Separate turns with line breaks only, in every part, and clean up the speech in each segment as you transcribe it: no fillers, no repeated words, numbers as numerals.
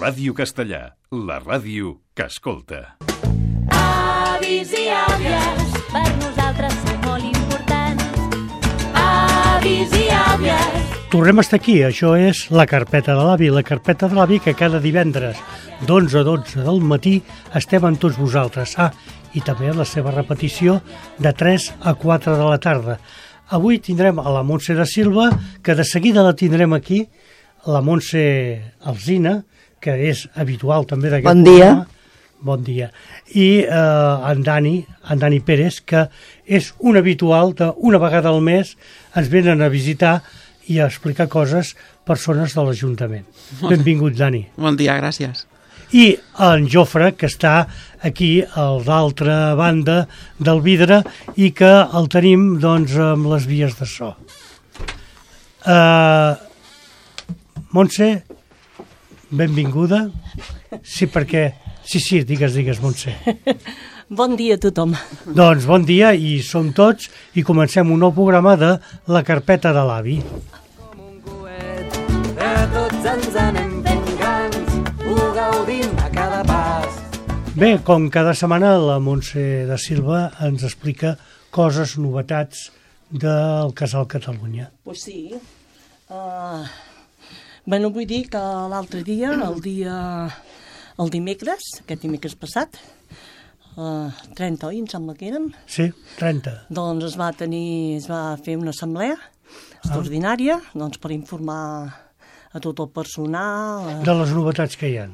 Ràdio Castellà, la ràdio que escolta.
Avis i àvies, per nosaltres són molt importants. Avis i àvies.
Tornem a estar aquí, això és La Carpeta de l'Avi. La Carpeta de l'Avi que cada divendres d'11 a 12 del matí estem amb tots vosaltres. I també la seva repetició de 3 a 4 de la tarda. Avui tindrem a la Montse da Silva, que de seguida la tindrem aquí, la Montse Alsina, que és habitual també d'aquest programa. Bon dia. I en Dani Pérez, que és un habitual d'una vegada al mes ens venen a visitar i a explicar coses persones de l'Ajuntament. Benvingut, Dani.
Bon dia, gràcies.
I en Jofre, que està aquí a l'altra banda del vidre i que el tenim doncs amb les vies de so. Montse, benvinguda. Sí, perquè... Sí, digues, Montse.
Bon dia a tothom.
Doncs bon dia i som tots i comencem un nou programa de La Carpeta de l'Avi.
Com un coet, tots ens anem fent grans, ho gaudim a cada pas.
Bé, com cada setmana, la Montse da Silva ens explica coses, novetats del Casal Catalunya.
Pues sí. Bueno, vull dir que l'altre dia, el dimecres, aquest dimecres passat, 30, oi, em sembla que érem?
Sí, 30.
Doncs es va fer una assemblea extraordinària doncs, per informar a tot el personal.
De les novetats que hi ha.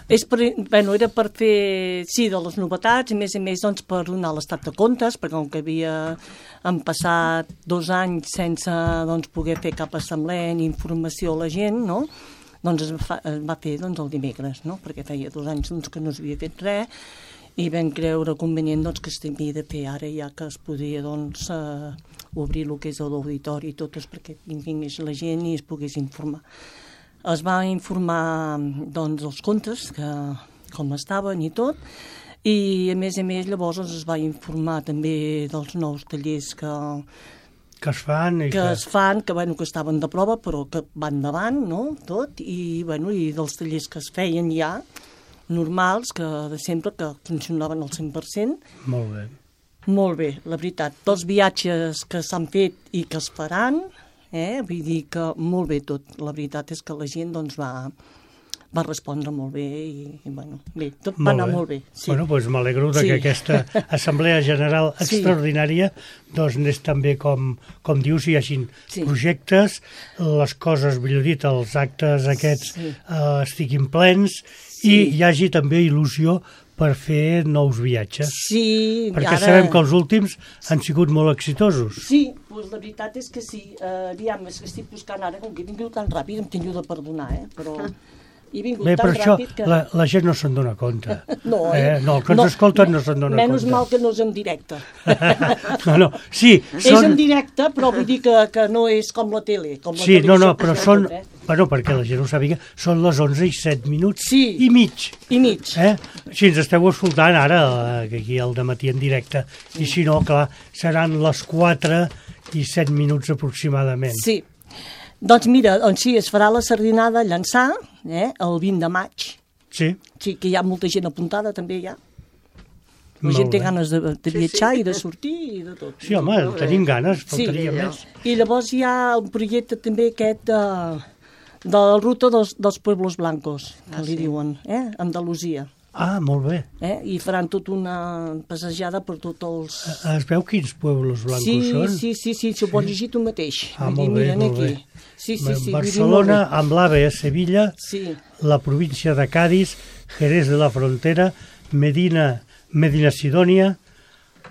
Era per fer, sí, de les novetats, i més doncs, per donar l'estat de comptes, perquè com que han passat 2 anys sense doncs, poder fer cap assemblea ni informació a la gent, no?, doncs es va fer doncs, el dimecres, no? Perquè feia 2 anys doncs, que no s'havia fet res i vam creure convenient doncs, que s'havia de fer ara, ja que es podia doncs, obrir el que és l'auditori i tot, perquè vingués la gent i es pogués informar. Es va informar doncs, els comptes, com estaven i tot, i a més llavors es va informar també dels nous tallers que es fan, que estaven de prova, però que van endavant, no?, tot, i dels tallers que es feien ja, normals, que de sempre, que funcionaven al 100%.
Molt bé.
Molt bé, la veritat. Tots viatges que s'han fet i que es faran, vull dir que molt bé tot. La veritat és que la gent doncs, va respondre molt bé i bé, tot va anar molt bé. Sí.
Doncs m'alegro que aquesta Assemblea General extraordinària doncs anés també com dius, hi hagin projectes, les coses, millor dit, els actes aquests estiguin plens i hi hagi també il·lusió per fer nous viatges.
Sí.
Perquè sabem que els últims han sigut molt exitosos.
Sí, doncs la veritat és que sí. Aviam, és que estic buscant ara, com que he vingut tan ràpid, em tinc de perdonar, però...
Bé, per això la gent no se'n dona compte. No, els que ens escolten no se'n dona compte.
Menys mal que no és en directe.
Sí,
és en directe, però vull dir que no és com la tele.
Sí, però són... perquè la gent ho sàpiga, són les 11 i 7 minuts i mig.
I mig.
Si ens esteu escoltant ara, aquí al dematí en directe, i si no, clar, seran les 4 i 7 minuts aproximadament.
Sí. Doncs mira, sí, es farà la sardinada a Llançà, el 20 de maig.
Sí.
Sí, que hi ha molta gent apuntada també ja. La gent té ganes de viatjar i de sortir i de tot.
Sí, home, tenim ganes, faltaria més.
I llavors hi ha un projecte també aquest de la ruta dels Pueblos Blancos, que li diuen, Andalusia.
Molt bé.
I faran tota una passejada per tots els...
Es veu quins Pueblos Blancos són?
Sí, s'ho pots llegir tu mateix.
Molt bé, molt bé.
Sí.
Barcelona, amb l'AVE a Sevilla, la província de Cádiz, Jerez de la Frontera, Medina Sidonia,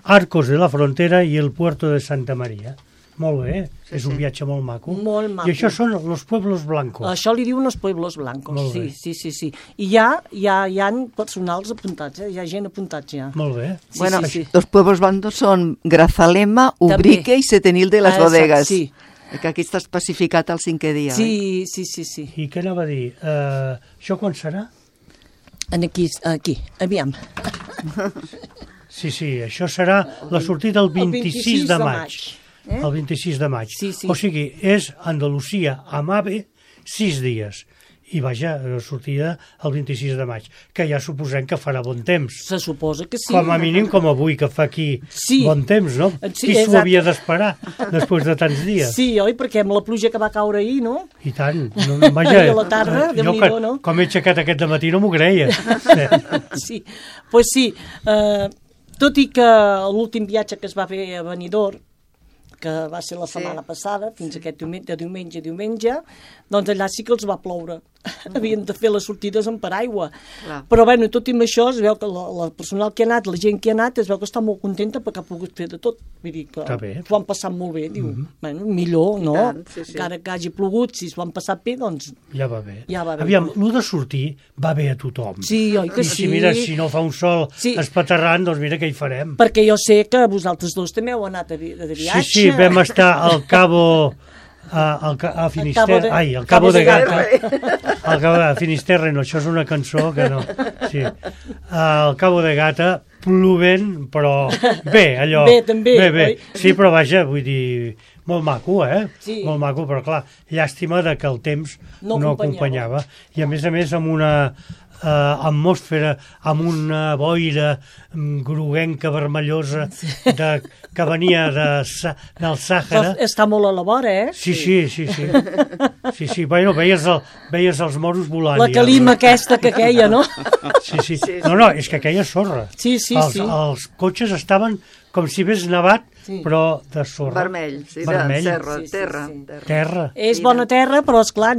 Arcos de la Frontera i el Puerto de Santa Maria. Molt bé, és un viatge molt maco.
Molt maco.
I això són els Pueblos Blancos.
Això li diuen els Pueblos Blancos, sí. I hi ha personals apuntats, hi ha gent apuntats ja.
Molt bé.
Bueno, los Pueblos Blancos son Grazalema, Ubrique i Setenil de las Bodegas. Sí. Que aquí està especificat el 5è dia.
Sí.
I què anava a dir? Això quan serà?
Aquí, aviam.
Sí, això serà la sortida el 26 de maig. El 26 de maig.
Sí.
O sigui, és Andalusia amb AVE 6 dies. i vaja, sortida el 26 de maig, que ja suposem que farà bon temps.
Se suposa que sí.
Com a mínim com avui, que fa aquí bon temps, no?
Sí,
qui s'ho havia d'esperar després de tants dies?
Sí, oi? Perquè amb la pluja que va caure ahir, no?
I tant. No, vaja,
I a la tarda, Déu-n'hi-do, no?
Com he aixecat aquest dematí no m'ho creia.
Sí, pues sí. Tot i que l'últim viatge que es va fer a Benidorm, que va ser la setmana passada, fins aquest diumenge, doncs allà sí que els va ploure. Havien de fer les sortides amb paraigua. Però bueno, tot i amb això es veu que la personal que ha anat, la gent que ha anat, es veu que està molt contenta perquè ha pogut fer de tot. Vull dir que s'ho han passat molt bé. Diu, bueno, millor, no? Encara que hagi plogut, si s'ho han passat bé, doncs...
Ja va bé.
Ja va bé.
Aviam, el de sortir va bé a tothom.
Sí, oi que sí.
I mira, si no fa un sol espaterrant, doncs mira què hi farem.
Perquè jo sé que vosaltres dos també heu anat de viatge.
Sí, vam estar al Cabo... a Finisterre, al Cabo de Gata, al Cabo de Finisterre, no, això és una cançó que no, sí, al Cabo de Gata, plovent, però bé, allò, bé, sí, però vaja, vull dir, molt maco, sí. Molt maco, però clar, llàstima de que el temps no acompanyava, i a més amb una atmosfera, amb una boira groguenca, vermellosa, que venia del Sàhara.
Està molt a la vora,
Sí. Bueno, veies els moros volant.
La calima aquesta que queia, no?
Sí. No, és que queia sorra.
Sí.
Els cotxes estaven com si hagués nevat, però de sorra.
Vermell, de terra.
És bona terra, però esclar,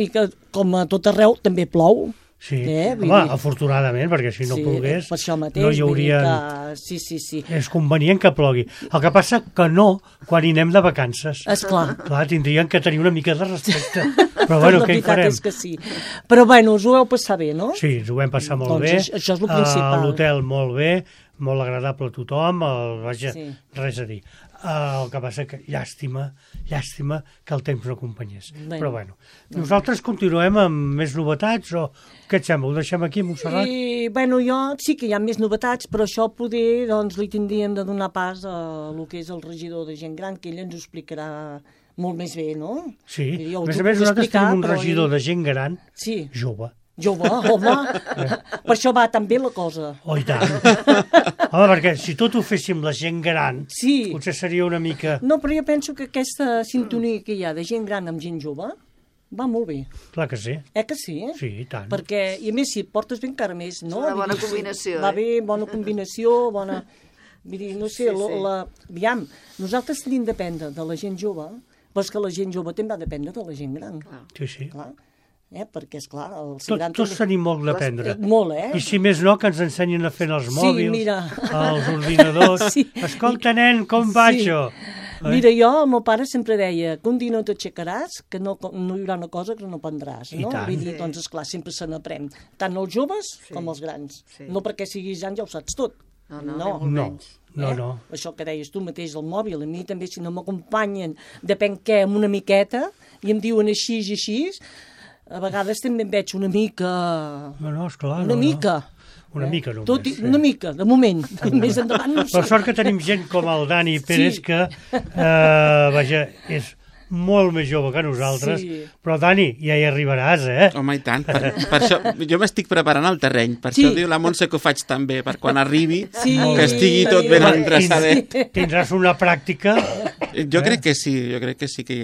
com a tot arreu també plou.
Sí, home, afortunadament, perquè si no plogués
per això mateix,
no hi hauria...
Sí.
És convenient que plogui. El que passa que no quan hi anem de vacances.
Esclar.
Clar, tindrien que tenir una mica de respecte. Però bueno, què hi farem?
La veritat és que sí. Però bueno, us ho heu passat bé, no?
Sí, ens ho vam passar molt bé.
Això és el principal.
L'hotel molt bé, molt agradable a tothom, vaja, res a dir. El que passa que llàstima que el temps no acompanyés. Però bueno, nosaltres continuem amb més novetats o què et sembla? Ho deixem aquí, Montserrat?
Bueno, jo sí que hi ha més novetats, però això poder doncs li tindríem de donar pas a el que és el regidor de gent gran, que ell ens ho explicarà molt més bé, no?
Sí, a més nosaltres tenim un regidor de gent gran jove.
Jove, home, per això va tan bé la cosa.
Oh, i tant. Home, perquè si tot ho féssim la gent gran, potser seria una mica...
No, però jo penso que aquesta sintonia que hi ha de gent gran amb gent jove va molt bé.
Clar que sí.
Que sí?
Sí, i tant.
Perquè, i a més, si et portes bé encara més, no?
És una bona combinació.
Va bé, bona combinació, bona... Vull dir, no sé, aviam, nosaltres tenim de dependre de la gent jove, però és que la gent jove també ha de dependre de la gent gran.
Sí.
Clar. Perquè, esclar...
Tots tenim molt d'aprendre.
Molt,
I si més no, que ens ensenyin a fer els mòbils, els ordinadors. Escolta, nen, com va això?
Mira, jo, el meu pare sempre deia que un dia no t'aixecaràs, que no hi haurà una cosa que no aprendràs. No? Vull dir, doncs, esclar, sempre se n'aprèn. Tant els joves com els grans. No perquè siguis gran ja ho saps tot. No. Això que deies tu mateix, el mòbil, a mi també, si no m'acompanyen, depèn què, amb una miqueta, i em diuen així i així, a vegades també em veig una mica...
No, esclar.
Una mica.
Una mica només.
Una mica, de moment. Més endavant no sé.
Per sort que tenim gent com el Dani Pérez que, vaja, és molt més jove que nosaltres, però Dani, ja hi arribaràs,
Home, i tant. Per això, jo m'estic preparant el terreny, per això diu la Montse que ho faig també, per quan arribi, que estigui tot ben endreçadet.
Tindràs una pràctica...
Jo crec que sí, que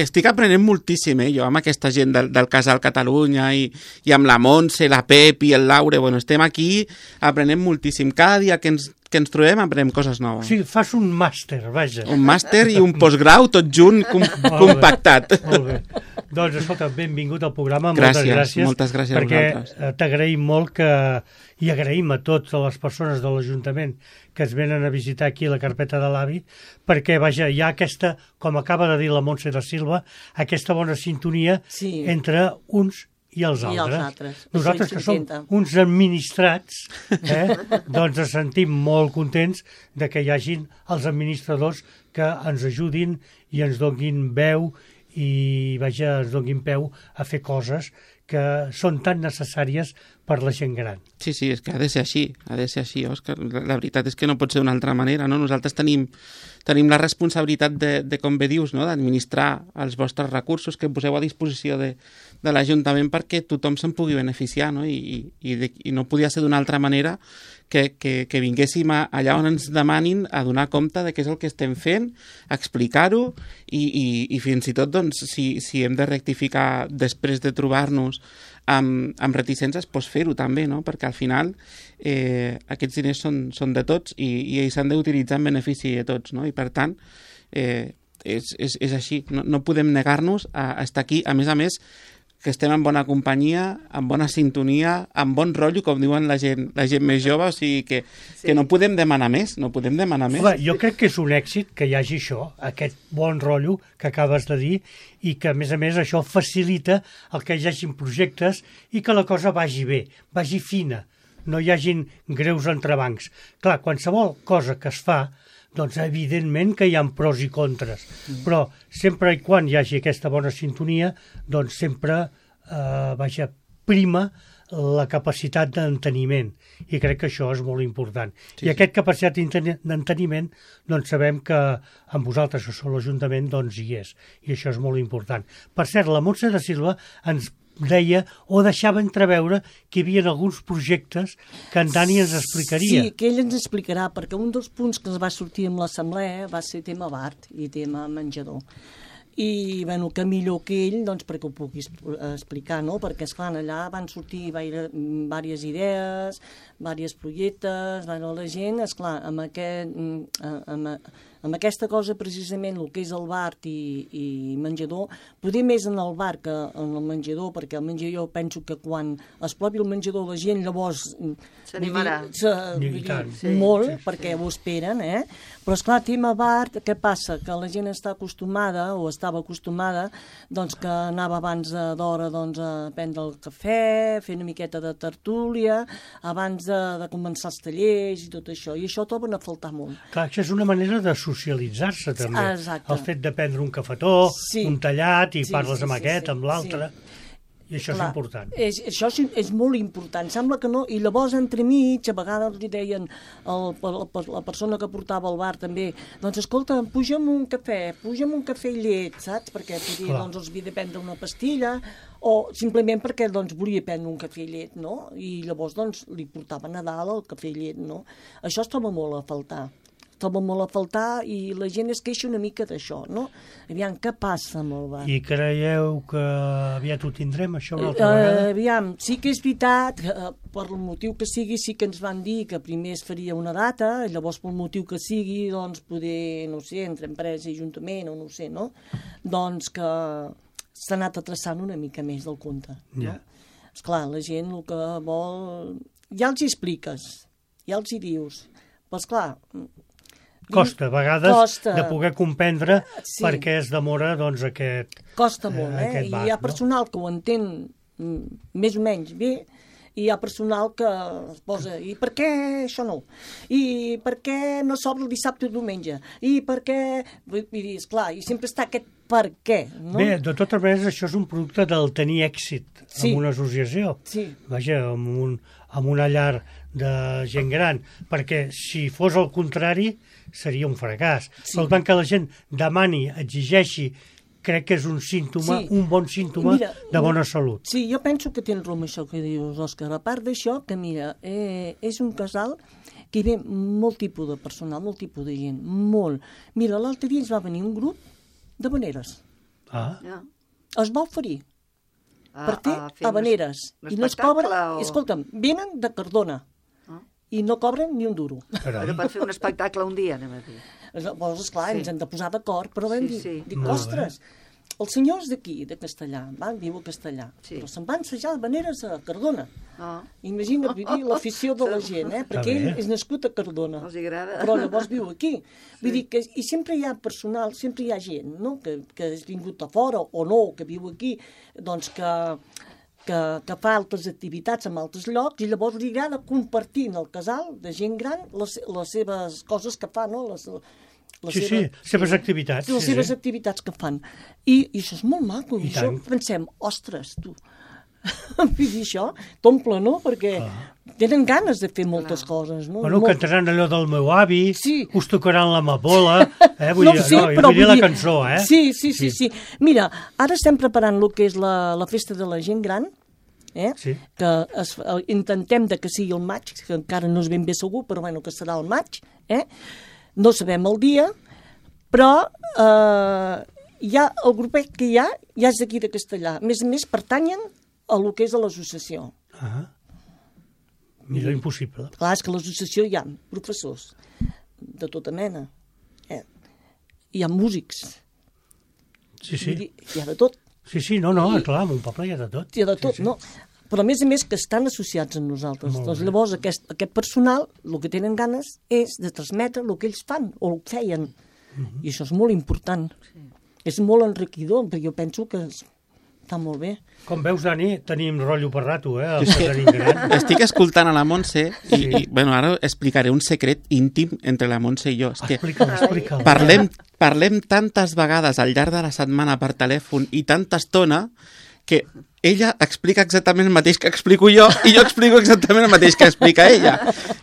estic aprenent moltíssim, jo, amb aquesta gent del Casal Catalunya i amb la Montse, la Pep i el Laure, bueno, estem aquí aprenent moltíssim. Cada dia que ens trobem aprenem coses noves.
Sí, fas un màster, vaja.
Un màster i un postgrau tot junt compactat.
Molt bé. Doncs, escolta, benvingut al programa. Moltes gràcies.
Moltes gràcies a vosaltres.
Perquè t'agraïm molt i agraïm a totes les persones de l'Ajuntament que es venen a visitar aquí la carpeta de l'avi, perquè, vaja, hi ha aquesta, com acaba de dir la Montse da Silva, aquesta bona sintonia entre uns i els altres. Nosaltres, que som uns administrats, doncs ens sentim molt contents de que hi hagin els administradors que ens ajudin i ens donin veu i, vaja, ens donin peu a fer coses que són tan necessàries per la gent gran.
Sí, és que ha de ser així, Òscar. La veritat és que no pot ser d'una altra manera, no? Nosaltres tenim la responsabilitat de com bé dius, no? D'administrar els vostres recursos que poseu a disposició de de l'Ajuntament perquè tothom se'n pugui beneficiar, no? I no podia ser d'una altra manera que vinguéssim allà on ens demanin a donar compte de què és el que estem fent, a explicar-ho i fins i tot doncs, si hem de rectificar després de trobar-nos amb reticències, doncs fer-ho també, no? Perquè al final aquests diners són de tots i ells s'han d'utilitzar en benefici de tots, no? I per tant és així, no podem negar-nos a estar aquí, a més que estem en bona companyia, en bona sintonia, en bon rotllo, com diuen la gent més jove, o sigui que no podem demanar més,
Home, jo crec que és un èxit que hi hagi això, aquest bon rotllo que acabes de dir, i que, a més, això facilita el que hi hagin projectes i que la cosa vagi bé, vagi fina, no hi hagin greus entrebancs. Clar, qualsevol cosa que es fa, doncs evidentment que hi ha pros i contres, però sempre i quan hi hagi aquesta bona sintonia, doncs sempre prima la capacitat d'enteniment, i crec que això és molt important. Sí, i aquesta capacitat d'enteniment, doncs sabem que amb vosaltres, que sou l'Ajuntament, doncs hi és, i això és molt important. Per cert, la Montse da Silva ens deia o deixava entreveure que hi havia alguns projectes que en Dani ens explicaria.
Sí, que ell ens explicarà, perquè un dels punts que ens va sortir amb l'assemblea va ser tema BART i tema menjador. I, bueno, que millor que ell, doncs, perquè ho pugui explicar, no? Perquè, esclar, allà van sortir diverses idees, diversos projectes, bueno, la gent, esclar, amb aquesta cosa, precisament, el que és el bar i menjador, poder més en el bar que en el menjador, perquè el menjador penso que quan es propi el menjador la gent llavors
s'animarà
molt, perquè ho esperen, però esclar, tema bar, què passa? Que la gent està acostumada, o estava acostumada, doncs que anava abans d'hora doncs, a prendre el cafè, fer una miqueta de tertúlia, abans de començar els tallers i tot això, i això troben a faltar molt.
Clar, això és una manera de socialitzar-se també.
Exacte.
El fet de prendre un cafetó, un tallat, i parles amb aquest, amb l'altre, i això és important.
Això és molt important, sembla que no, i llavors entremig, a vegades li deien la persona que portava el bar també, doncs escolta, puja'm un cafè i llet, saps? Perquè doncs, els havia de prendre una pastilla, o simplement perquè doncs, volia prendre un cafè i llet, no? I llavors doncs, li portaven a dalt el cafè i llet, no? Això es troba molt a faltar. I la gent es queixa una mica d'això, no? Aviam, què passa amb el bar?
I creieu que aviat ho tindrem, això, una altra vegada?
Aviam, sí que és veritat, per el motiu que sigui, sí que ens van dir que primer es faria una data, i llavors pel motiu que sigui, doncs poder, no sé, entre empresa i ajuntament, o no sé, no? Doncs que s'ha anat atraçant una mica més del compte, no? Esclar, la gent el que vol... Ja els hi expliques, ja els hi dius, però esclar...
Costa, a vegades, de poder comprendre per què es demora doncs, aquest bar.
Costa molt, i hi ha personal que ho entén més o menys bé, i hi ha personal que es posa, i per què això no? I per què no s'obre el dissabte o el diumenge? I per què... Vull dir, esclar, i sempre està aquest per què, no?
Bé, de totes maneres, això és un producte del tenir èxit en una associació. Vaja, amb una llar de gent gran, perquè si fos el contrari seria un fracàs. Per tant, que la gent demani, exigeixi, crec que és un símptoma, un bon símptoma de bona salut.
Sí, jo penso que tens raó amb això que dius, Òscar. A part d'això, que mira, és un casal que hi ve molt tipus de personal, molt tipus de gent, molt. Mira, l'altre dia ens va venir un grup de habaneres. Es va oferir per fer habaneres. I no es cobra... Escolta'm, venen de Cardona i no cobren ni un duro.
Però per fer un espectacle un dia, anem a dir.
Llavors, esclar, ens hem de posar d'acord, però vam dir, ostres, els senyors d'aquí, de Castellà, viu a Castellà, però se'n van assajar habaneres a Cardona. Imagina't l'afició de la gent, perquè ell és nascut a Cardona, però llavors viu aquí. Vull dir que i sempre hi ha personal, sempre hi ha gent, no?, que has vingut a fora o no, que viu aquí, doncs que fa altres activitats en altres llocs i llavors li agrada compartir en el casal de gent gran les seves coses que fa, no?
Seves activitats.
Les seves activitats que fan. I això és molt maco. I això pensem, ostres, tu, vull dir això, t'omple, no? Perquè tenen ganes de fer moltes coses, no?
Bueno, cantaran allò del meu avi,
Sí.
us tocaran l'amapola, vull
No
dir,
ho sé,
jo
però
vull dir
vull
la
dir-
cançó, eh?
Sí. Mira, ara estem preparant el que és la festa de la gent gran,
Sí.
que intentem de que sigui el maig, que encara no és ben bé segur, però bueno, que serà el maig, no sabem el dia, però ja el grupet que hi ha és d'aquí de Castellà. A més, pertanyen a lo que és a l'associació.
Millor impossible.
Clar, és que a l'associació hi ha professors de tota mena, hi ha músics,
Sí.
vull dir, hi ha de tot.
Sí, no, clar, en un poble hi ha de tot.
Hi ha de tot, no? Però a més que estan associats amb nosaltres.
Molt
Doncs
bé.
llavors aquest personal el que tenen ganes és de transmetre el que ells fan o el que feien. I això és molt important. És molt enriquidor, perquè jo penso que està molt bé.
Com veus, Dani, tenim rotllo per rato, el
És que
Casarín Gran.
estic escoltant a la Montse i bueno, ara explicaré un secret íntim entre la Montse i jo. És que
Explica'l.
parlem tantes vegades al llarg de la setmana per telèfon i tanta estona que ella explica exactament el mateix que explico jo i jo explico exactament el mateix que explica ella.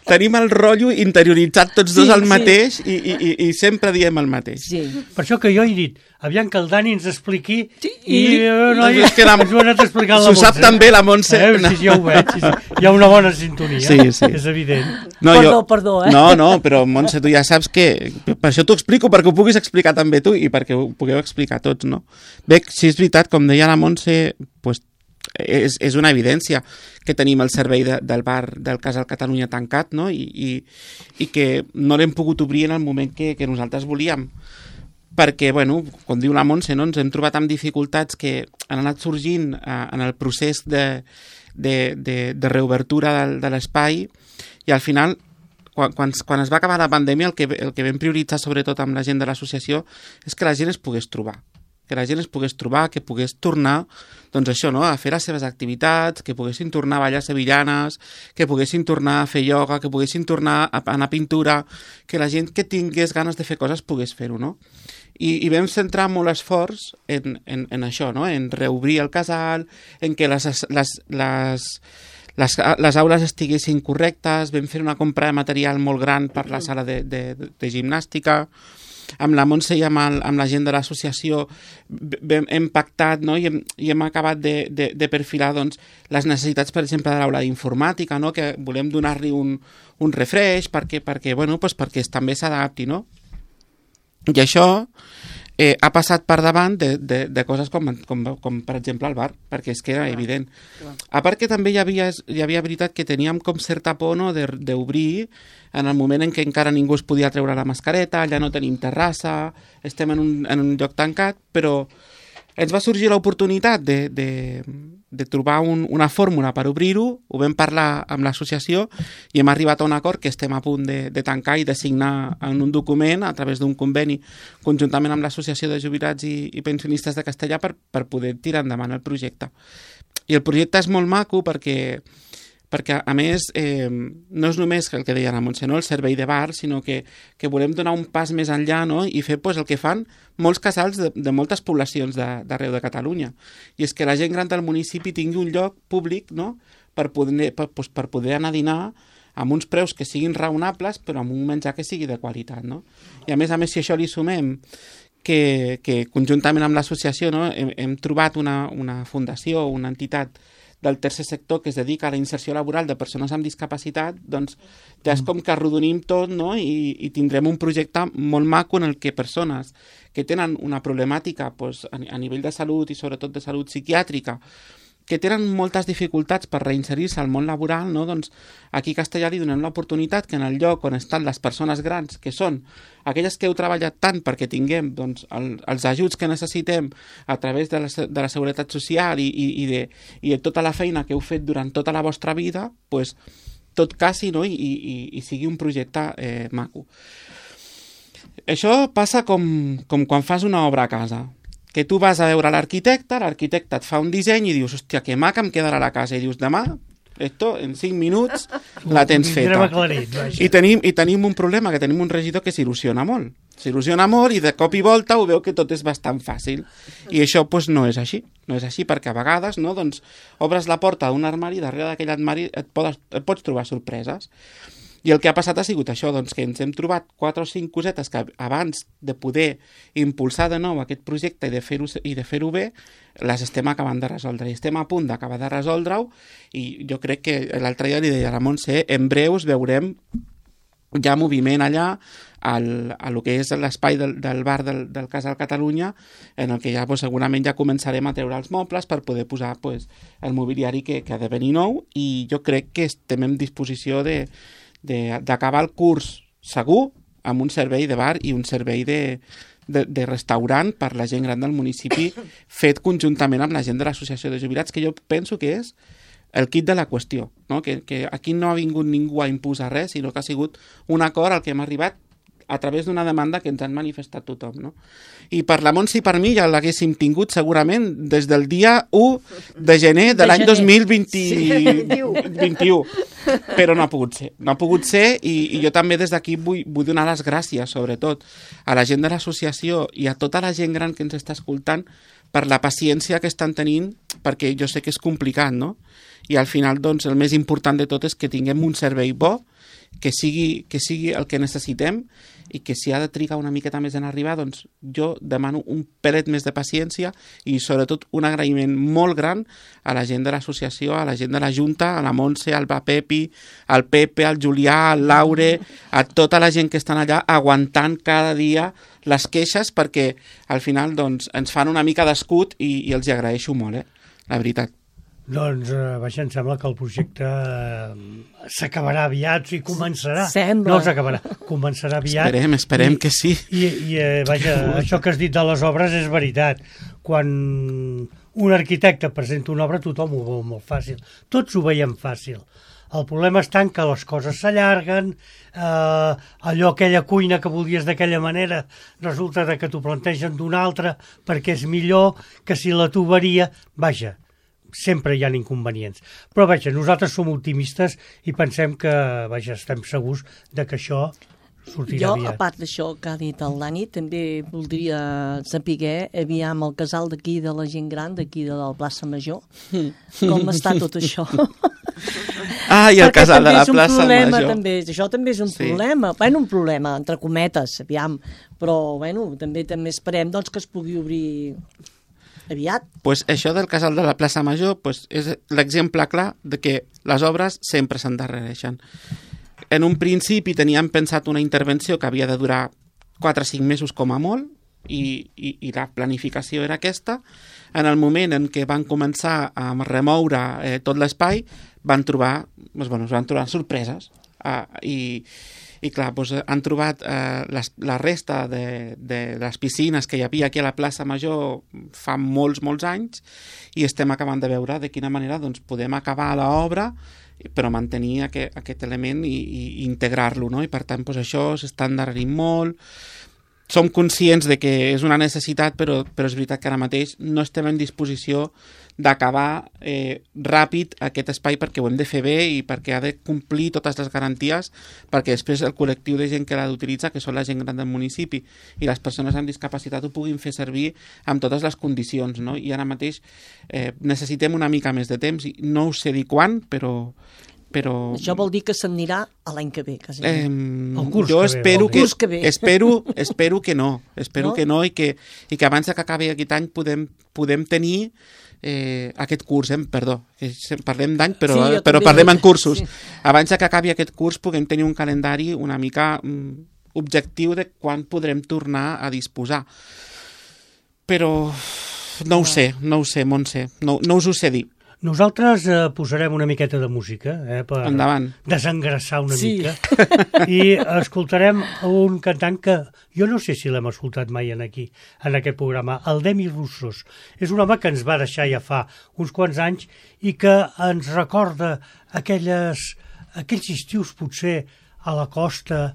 Tenim el rotllo interioritzat tots dos el mateix i sempre diem el mateix.
Sí.
Per això que jo he dit, aviam que el Dani ens expliqui
i-
noi,
És que la-
ens ho ha anat explicant la
S'ho sap
Montse.
també la Montse.
Sí, ja ho veig. Sí. Hi ha una bona sintonia,
Sí.
és evident.
Perdó,
No, però Montse, tu ja saps que... Per això t'ho explico, perquè ho puguis explicar també tu i perquè ho pugueu explicar tots, no? Bé, si és veritat, com deia la Montse, pues, és una evidència que tenim el servei del bar del Casal Catalunya tancat, no? I que no l'hem pogut obrir en el moment que nosaltres volíem. Perquè, bueno, com diu la Montse, no? Ens hem trobat amb dificultats que han anat sorgint en el procés de reobertura de l'espai i al final, quan es va acabar la pandèmia, el que vam prioritzar sobretot amb la gent de l'associació és que la gent es pogués trobar. Que la gent es pogués trobar, que pogués tornar, doncs això, no?, a fer les seves activitats, que poguessin tornar a ballar sevillanes, que poguessin tornar a fer ioga, que poguessin tornar a anar a pintura, que la gent que tingués ganes de fer coses pogués fer-ho, no? I vam centrar molt esforç en això, no?, en reobrir el casal, en que les aules estiguessin correctes, vam fer una compra de material molt gran per la sala de gimnàstica, amb la Montse i amb la gent de l'associació hem pactat, no? I hem acabat de perfilar doncs, les necessitats, per exemple, de l'aula d'informàtica, no? Que volem donar-li un refresh perquè també s'adapti, no? I això ha passat per davant de coses com per exemple el bar, perquè és que era evident. A part que també hi havia veritat que teníem com certa por, no, d'obrir en el moment en què encara ningú es podia treure la mascareta, ja no tenim terrassa, estem en un lloc tancat, però ens va sorgir l'oportunitat de trobar una fórmula per obrir-ho, ho vam parlar amb l'associació i hem arribat a un acord que estem a punt de tancar i de signar en un document a través d'un conveni conjuntament amb l'Associació de Jubilats i Pensionistes de Castellà per poder tirar endavant el projecte. I el projecte és molt maco perquè a més no és només el que deia la Montse, no? El servei de bar, sinó que volem donar un pas més enllà, no? I fer el que fan molts casals de moltes poblacions d'arreu de Catalunya. I és que la gent gran del municipi tingui un lloc públic, no? per poder anar a dinar amb uns preus que siguin raonables però amb un menjar que sigui de qualitat. No? I a més, si això li sumem que conjuntament amb l'associació, no? hem trobat una fundació, una entitat del tercer sector que es dedica a la inserció laboral de persones amb discapacitat, doncs ja és com que arrodonim tot, no? I tindrem un projecte molt maco en el que persones que tenen una problemàtica a nivell de salut i sobretot de salut psiquiàtrica, que tenen moltes dificultats per reinserir-se al món laboral, no? Doncs aquí a Castellà li donem l'oportunitat que en el lloc on estan les persones grans, que són aquelles que heu treballat tant perquè tinguem doncs, els ajuts que necessitem a través de la Seguretat Social i de tota la feina que heu fet durant tota la vostra vida, doncs, tot casi, no? I sigui un projecte maco. Això passa com quan fas una obra a casa, que tu vas a veure l'arquitecte et fa un disseny i dius, hòstia, que maca em quedarà la casa, i dius, demà Esto, en 5 minuts la tens feta. I tenim un problema, que tenim un regidor que s'il·lusiona molt. S'il·lusiona molt i de cop i volta ho veu que tot és bastant fàcil. I això pues, no és així. No és així perquè a vegades no, doncs, obres la porta d'un armari i darrere d'aquell armari et pots trobar sorpreses. I el que ha passat ha sigut això, doncs, que ens hem trobat 4 o 5 cosetes que abans de poder impulsar de nou aquest projecte i de fer-ho bé, les estem acabant de resoldre. I estem a punt d'acabar de resoldre-ho i jo crec que l'altre dia li deia a la Montse, en breus veurem ja moviment allà a lo que és l'espai del bar del Casal Catalunya, en el que ja pues, segurament ja començarem a treure els mobles per poder posar pues, el mobiliari que ha de venir nou, i jo crec que estem en disposició d'acabar el curs segur amb un servei de bar i un servei de restaurant per la gent gran del municipi fet conjuntament amb la gent de l'associació de jubilats, que jo penso que és el kit de la qüestió, no? Que aquí no ha vingut ningú a imposar res, sinó que ha sigut un acord al que hem arribat a través d'una demanda que ens han manifestat tothom, no? I per la Montse i per mi ja l'haguéssim tingut segurament des del dia 1 de gener de l'any 2021, però no ha pogut ser, i jo també des d'aquí vull donar les gràcies, sobretot, a la gent de l'associació i a tota la gent gran que ens està escoltant per la paciència que estan tenint, perquè jo sé que és complicat, no? I al final, doncs, el més important de tot és que tinguem un servei bo, que sigui el que necessitem, i que si ha de trigar una miqueta més en arribar, doncs jo demano un pelet més de paciència i sobretot un agraïment molt gran a la gent de l'associació, a la gent de la Junta, a la Montse, al Pepi, al Pepe, al Julià, al Laure, a tota la gent que estan allà aguantant cada dia les queixes, perquè al final doncs, ens fan una mica d'escut i els hi agraeixo molt, la veritat.
Doncs, vaja, em sembla que el projecte s'acabarà aviat, o sigui, començarà.
Sembla.
No s'acabarà, començarà aviat.
Esperem que sí.
I vaja, això que has dit de les obres és veritat. Quan un arquitecte presenta una obra, tothom ho veu molt fàcil. Tots ho veiem fàcil. El problema està en que les coses s'allarguen, aquella cuina que volies d'aquella manera resulta que t'ho plantegen d'una altra perquè és millor que si la tuberia... Vaja, sempre hi ha inconvenients. Però, vaja, nosaltres som optimistes i pensem que, vaja, estem segurs de que això sortirà aviat.
Jo, a part d'això que ha dit el Dani, també voldria saber, aviam el casal d'aquí de la gent gran, d'aquí de la plaça Major, com està tot això.
I el casal de la plaça Major.
Això també és un problema. Bueno, un problema, entre cometes, aviam. Però, bueno, també esperem doncs, que es pugui obrir aviat.
Pues això del casal de la plaça Major pues, és l'exemple clar de que les obres sempre s'endarrereixen. En un principi teníem pensat una intervenció que havia de durar 4 o 5 mesos com a molt i la planificació era aquesta. En el moment en què van començar a remoure tot l'espai es van trobar sorpreses i clar, doncs han trobat la resta de les piscines que hi havia aquí a la plaça Major fa molts anys i estem acabant de veure de quina manera doncs, podem acabar l'obra però mantenir aquest element i integrar-lo, no? I per tant doncs, això s'està endarrerint molt. Som conscients de que és una necessitat, però és veritat que ara mateix no estem en disposició d'acabar ràpid aquest espai perquè ho hem de fer bé i perquè ha de complir totes les garanties perquè després el col·lectiu de gent que l'ha d'utilitzar, que són la gent gran del municipi i les persones amb discapacitat ho puguin fer servir amb totes les condicions, no? I ara mateix necessitem una mica més de temps i no us sé dir quan, però...
Això vol dir que s'anirà a l'any que ve, quasi.
Jo espero que no. Espero que no i que abans que acabi aquest any podem tenir aquest curs, perdó, parlem d'any però parlem en cursos. Sí. Abans que acabi aquest curs puguem tenir un calendari una mica objectiu de quan podrem tornar a disposar. Però no ho sé, Montse, no us ho sé dir.
Nosaltres posarem una miqueta de música per desengressar una mica i escoltarem un cantant que jo no sé si l'hem escoltat mai en aquest programa, el Demi Russos. És un home que ens va deixar ja fa uns quants anys i que ens recorda aquells estius potser a la costa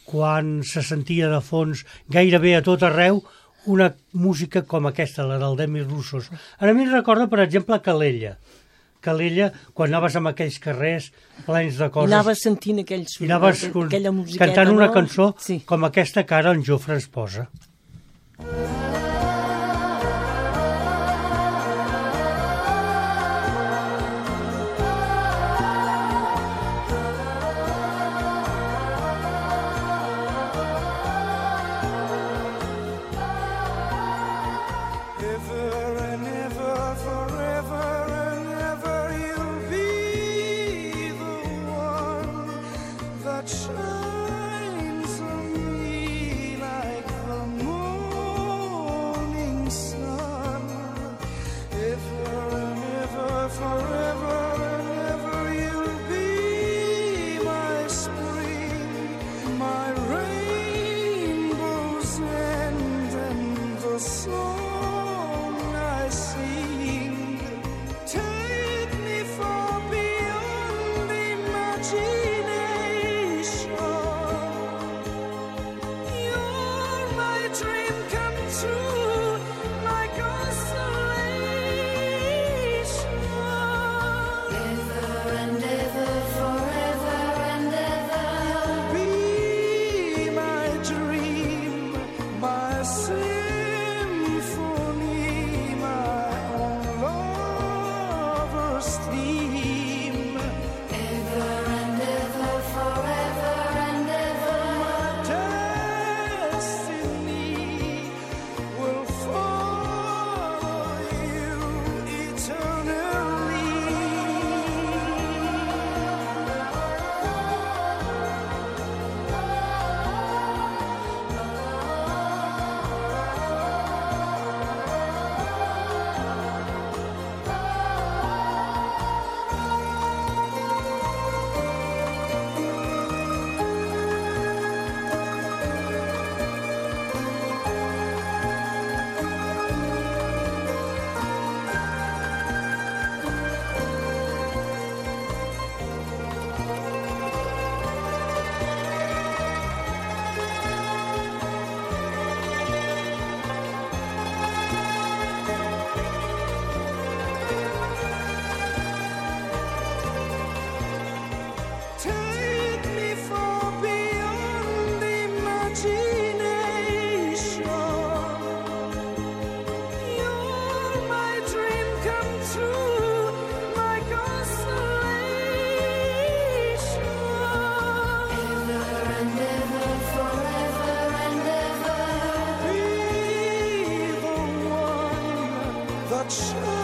quan se sentia de fons gairebé a tot arreu una música com aquesta, la del Demi Russos. A mi em recorda, per exemple, Calella. Calella quan anaves amb aquells carrers plens de coses.
I anaves sentint aquella musiqueta,
cantant una
no?
cançó
Sí.
com aquesta que ara en Jofre ens posa.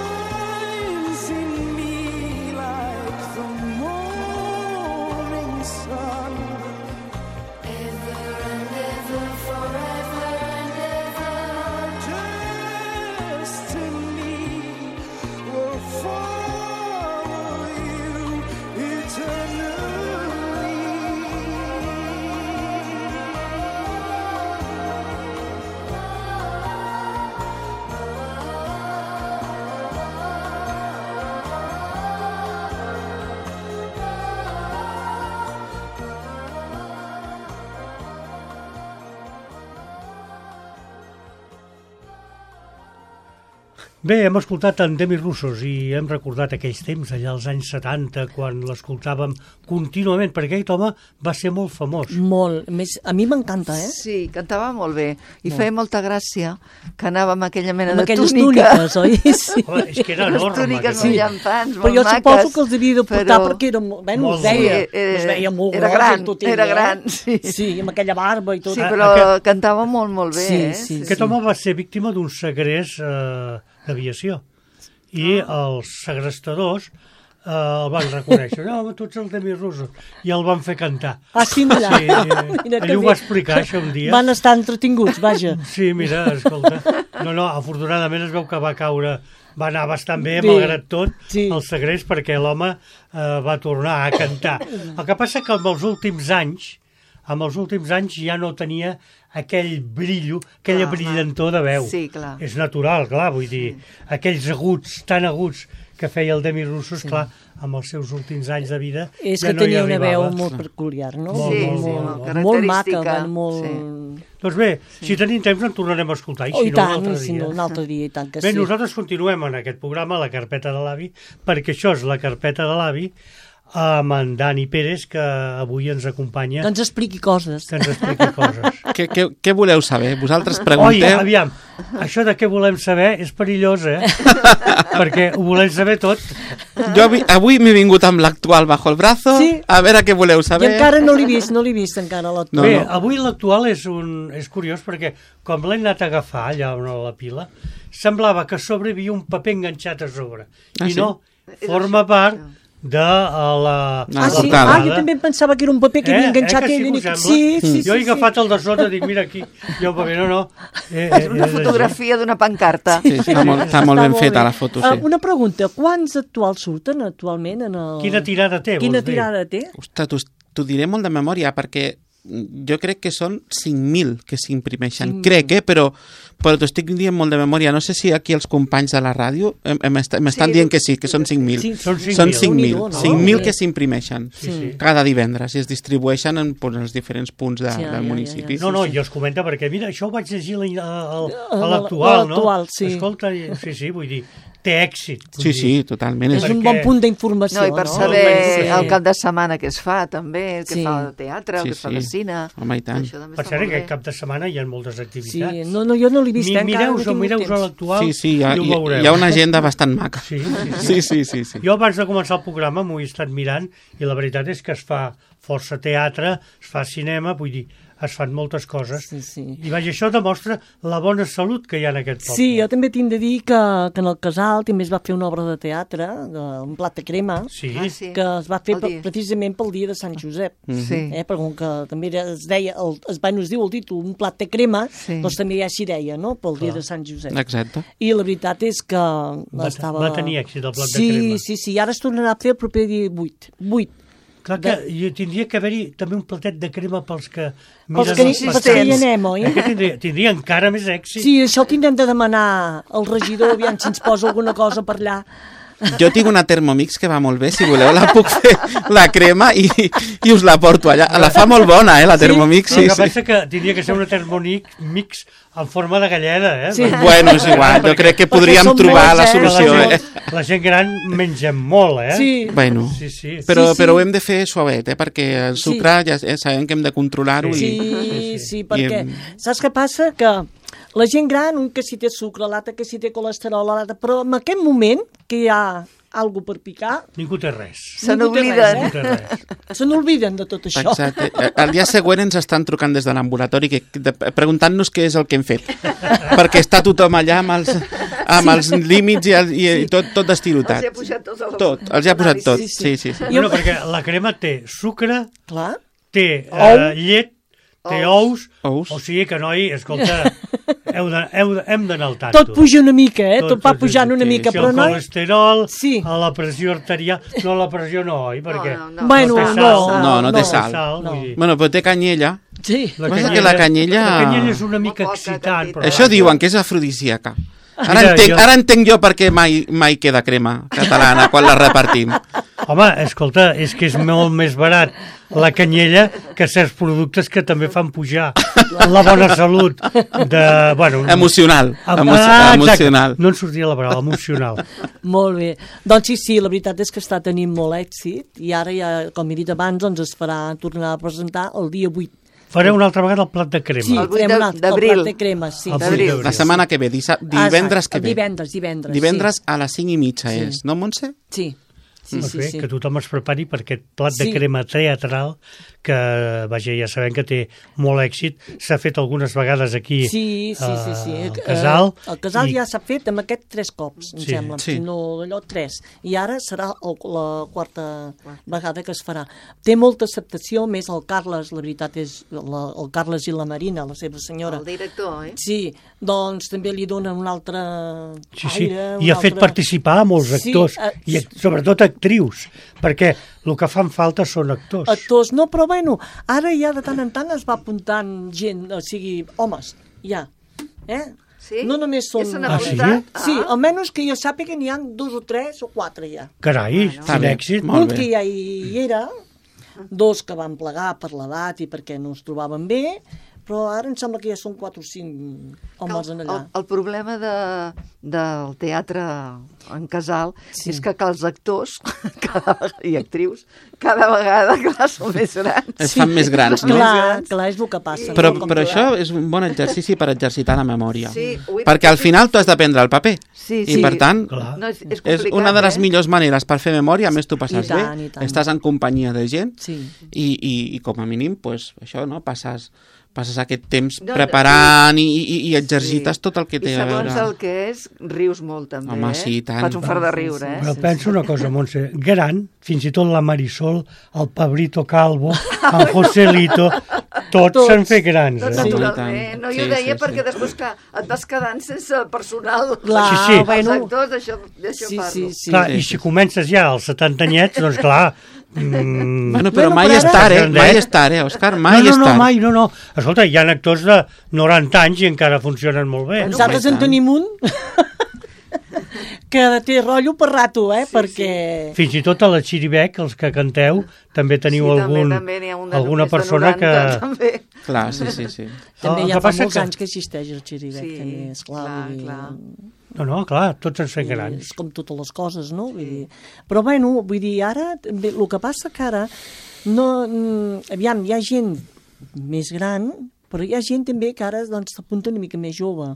Shines on me like the morning
Bé, hem escoltat en Demis Roussos i hem recordat aquells temps, allà als anys 70, quan l'escoltàvem contínuament, perquè aquest home va ser molt famós.
Molt. Més, a mi m'encanta, eh?
Sí, cantava molt bé. I feia molta gràcia que anava amb aquella mena
amb
de
aquelles
túnica.
túniques, oi? Sí.
Home, és que era enorme.
Les túniques
aquest
molt
home.
llampants,
Però
molt
jo
maques.
suposo que els devia de portar
però-
perquè era, bueno,
Molt
es veia,
bé.
es veia molt
Era
gros
gran,
i tot ell,
era gran, sí.
Sí, amb aquella barba i tot.
Sí, però
Aquest-
cantava molt, molt bé.
Sí,
eh?
sí,
Aquest home va ser víctima d'un segrest d'aviació i els segrestadors el van reconèixer. No, home, tu ets el Demis Roussos. I el van fer cantar.
Ah, sí, mira.
Sí,
Mira que
ell ho
bé.
va explicar això un dia.
Van estar entretinguts, vaja.
Sí, mira, escolta. No, afortunadament es veu que va caure, va anar bastant bé,
Bé,
malgrat tot,
sí.
el segrest, perquè l'home va tornar a cantar. El que passa que amb els últims anys ja no tenia aquell brillo, aquella
Clar,
brillantor de veu.
Sí, clar.
És natural, clar, vull dir, aquells aguts, tan aguts que feia el Demis Roussos, clar, amb els seus últims anys de vida
És
ja
que
no hi
tenia una veu
arribava.
molt peculiar, no?
Molt,
Sí,
molt,
sí,
molt,
molt
molt.
característica.
Molt maca, molt...
Sí.
Doncs bé, si tenim temps en tornarem a escoltar, i
Oh,
si
i
no,
tant,
un altre
si
dia.
no, un altre dia, i tant que
Bé,
sí.
nosaltres continuem en aquest programa, la carpeta de l'avi, perquè això és la carpeta de l'avi, amb en Dani Pérez, que avui ens acompanya,
Que ens expliqui coses.
que ens expliqui coses.
Què voleu saber? Vosaltres
Oi,
pregunteu?
aviam, això de què volem saber és perillós, perquè ho volem saber tot.
Jo avui m'he vingut amb l'actual bajo el brazo,
Sí.
a veure què voleu
I
saber.
encara no l'he vist encara
No,
l'actual.
Bé,
no.
avui l'actual és curiós perquè com l'he anat a agafar allà on a la pila, semblava que a sobre hi havia un paper enganxat a sobre.
Ah,
I
sí?
no, forma part de la
Ah, sí?
portada.
Jo també em pensava que era un paper que havia enganxat
que sí,
ell.
que us sembla?
Sí,
Jo he agafat el de sota, dic, mira aquí, hi ha un paper, no.
És una fotografia d'una pancarta.
Sí, està molt ben feta la foto, sí.
Una pregunta, quants actuals surten actualment en el...
Quina tirada té,
Quina
vols dir?
tirada té?
Ostres, t'ho diré molt de memòria, perquè jo crec que són 5.000 que s'imprimeixen. Crec, però t'ho estic dient molt de memòria. No sé si aquí els companys de la ràdio m'estan dient que sí, que són 5.000.
Sí,
Són 5.000.
Són 5.000.
no?
5.000 que s'imprimeixen
sí.
cada divendres i es distribueixen en els diferents punts
Ja,
del municipi.
No, jo es comenta perquè, mira, això ho vaig llegir a
A
l'actual, no?
l'actual, sí.
Escolta, sí, vull dir, té èxit. vull
Sí,
dir.
sí, totalment.
És un bon punt d'informació,
No, i per
no?
saber
Sí.
el cap de setmana que es fa, també, el que
Sí.
fa de teatre, el
Sí,
que es fa
sí.
de cine.
Home, i tant.
Això també
Per
està
cert,
molt
aquest
bé.
cap de setmana hi ha moltes
Sí,
activitats.
no, jo no l'he vist, encara no he tingut
Mireu-vos
temps.
l'actual
Sí,
i ho veureu.
hi ha una agenda bastant maca.
Sí.
Sí.
Jo abans de començar el programa m'ho he estat mirant i la veritat és que es fa força teatre, es fa cinema, vull dir, es fan moltes coses.
Sí.
I vaja, això demostra la bona salut que hi ha en aquest poble.
Sí, jo també tinc de dir que en el Casal també es va fer una obra de teatre, un plat de crema,
Sí.
Ah, sí.
que es va fer
El dia.
precisament pel dia de Sant Josep.
Sí.
Perquè com que també es deia, es diu el títol, un plat de crema,
Sí.
doncs també ja s'hi deia, no?, pel dia de Sant Josep.
Exacte.
I la veritat és que
Va tenir èxit el plat de
sí,
crema.
Sí, i ara es tornarà a fer el proper dia 8.
Clar que tindria que haver-hi també un platet de crema pels que
Pels
miren
que,
els
pels que hi
partits.
anem, oi?
Que tindria encara més èxit.
Sí, això ho tindrem de demanar al regidor, aviam si ens posa alguna cosa per allà.
Jo tinc una Thermomix que va molt bé, si voleu la puc fer, la crema, i us la porto allà. La fa molt bona, la Thermomix,
Però
sí,
el que
sí.
passa que tindria que ser una Thermomix en forma de galleda,
Sí.
Bueno, és igual, jo crec que podríem
som
trobar
molts,
la
eh?
solució,
La gent gran mengem molt,
Sí.
Bueno,
Sí.
però
Sí.
ho hem de fer suavet, perquè el sucre ja sabem que hem de controlar-ho.
Sí, perquè saps què passa? Que la gent gran, un que si té sucre, l'altre que si té colesterol, l'altre, però en aquest moment que hi ha alguna per picar,
Ningú té res.
Se
ningú té
n'obliden.
Ningú
res,
té res.
se n'olviden de tot això.
Exacte. El dia següent ens estan trucant des de l'ambulatori preguntant-nos què és el que hem fet. Perquè està tothom allà amb els límits i tot destilotat.
Els hi ha posat tot a la-
Tot, els hi ha posat tot.
Sí.
Sí.
Bueno, perquè la crema té sucre,
Clar.
té
Ou.
llet, té ous,
Ous.
o sigui que, noi, escolta, hem d'anar al tanto.
Tot puja una mica, tot va pujant una mica,
Si
però
el
no...
colesterol,
Sí.
a la pressió arterial... No, la pressió no, oi? Perquè
no.
Bueno,
té sal.
no
té
té
sal.
vull dir.
Bueno, però té canyella.
Sí.
Passa que la canyella-
La canyella és una mica
Poca
excitant.
quantitat.
Però
Això diuen que és afrodisíaca.
Mira,
Ara entenc jo per què mai queda crema catalana quan la repartim.
Home, escolta, és que és molt més barat la canyella que certs productes que també fan pujar la bona salut de... Bueno,
Emocional.
exacte.
Emocional.
No en sortia la paraula, emocional.
Molt bé. Doncs sí, la veritat és que està tenint molt èxit i ara ja, com he dit abans, doncs es farà tornar a presentar el dia 8.
Fareu una altra vegada el plat de crema.
Sí,
El 8
farem un altre, el
d'abril.
plat de crema, sí.
El
d'abril.
8 d'abril.
La setmana que ve, divendres que ve.
Divendres,
Divendres a les 5:30
Sí.
és, no, Montse?
Sí. Sí,
Doncs
sí,
bé,
sí.
que tothom es prepari per aquest plat de
Sí.
crema teatral que, vaja, ja sabem que té molt èxit. S'ha fet algunes vegades aquí
Sí.
al Casal.
El Casal
i-
ja s'ha fet amb aquest 3 cops, em
Sí,
sembla.
sí.
No, allò 3. I ara serà la quarta vegada que es farà. Té molta acceptació, més el Carles, la veritat és el Carles i la Marina, la seva senyora.
El director, eh?
Sí, doncs també li donen un altre
Sí,
aire.
i ha fet participar a molts
Sí,
actors, i sobretot actrius, perquè el que fan falta són actors.
Actors, no, però bueno, ara ja de tant en tant es va apuntant gent, o sigui, homes, ja.
Sí?
No només són...
Ja s'han
Ah, sí?
apuntat?
Sí, almenys que jo sàpiga n'hi ha 2 o 3 o 4 ja.
Carai,
Està
quin
bé,
èxit.
molt
Un
bé.
que ja hi era, 2 que van plegar per l'edat i perquè no es trobaven bé, però ara em sembla que ja són 4 o 5 homes en allà.
El problema del teatre en casal és que els actors i actrius cada vegada, clar, són més grans.
Es fan més grans, no?
Clar, és el que passa.
Però això és un bon exercici per exercitar la memòria.
Sí,
perquè al final tu has d'aprendre el paper.
Sí,
I per tant,
no, és
és una de les millors maneres per fer memòria, a més tu passes
I tant,
bé,
i tant.
estàs en companyia de gent
Sí.
i com a mínim, pues, això, no? Passes aquest temps preparant i exercites tot el que té a veure.
I segons el que és, rius molt també,
Home, sí, i tant.
Fas un fart de riure,
Però penso una cosa, Montse, gran, fins i tot la Marisol, el Pablito Calvo, el Joselito, tots s'han fet grans.
Tot
Sí,
naturalment.
i tant.
No, jo
Sí,
deia
sí,
perquè
sí.
després que et vas quedant sense personal.
Clar,
Sí, sí.
Els actors, d'això
Sí,
parlo.
sí, sí.
Clar, i si comences ja als 70 anyets, doncs clar...
Bueno, però
Bueno,
mai
però
és
ara-
tard, mai és tard, Òscar, mai és
no,
tard.
mai, no. Escolta, hi ha actors de 90 anys i encara funcionen molt bé.
Nosaltres en tenim un que té rotllo per rato, perquè...
Fins i tot a la Xiribec, els que canteu, també teniu
també n'hi ha un de
alguna
més de
persona
90,
que...
També.
Clar, sí.
També
El
ja
que
fa
passa
molts
que-
anys que existeix el Xirivec,
Sí,
també, esclar.
clar,
vull dir,
clar.
No, clar, tots ens fem
és
grans.
com totes les coses, no? Vull dir, però bueno, vull dir, ara, també, el que passa que ara, no, aviam, hi ha gent més gran, però hi ha gent també que ara doncs, s'apunta una mica més jove,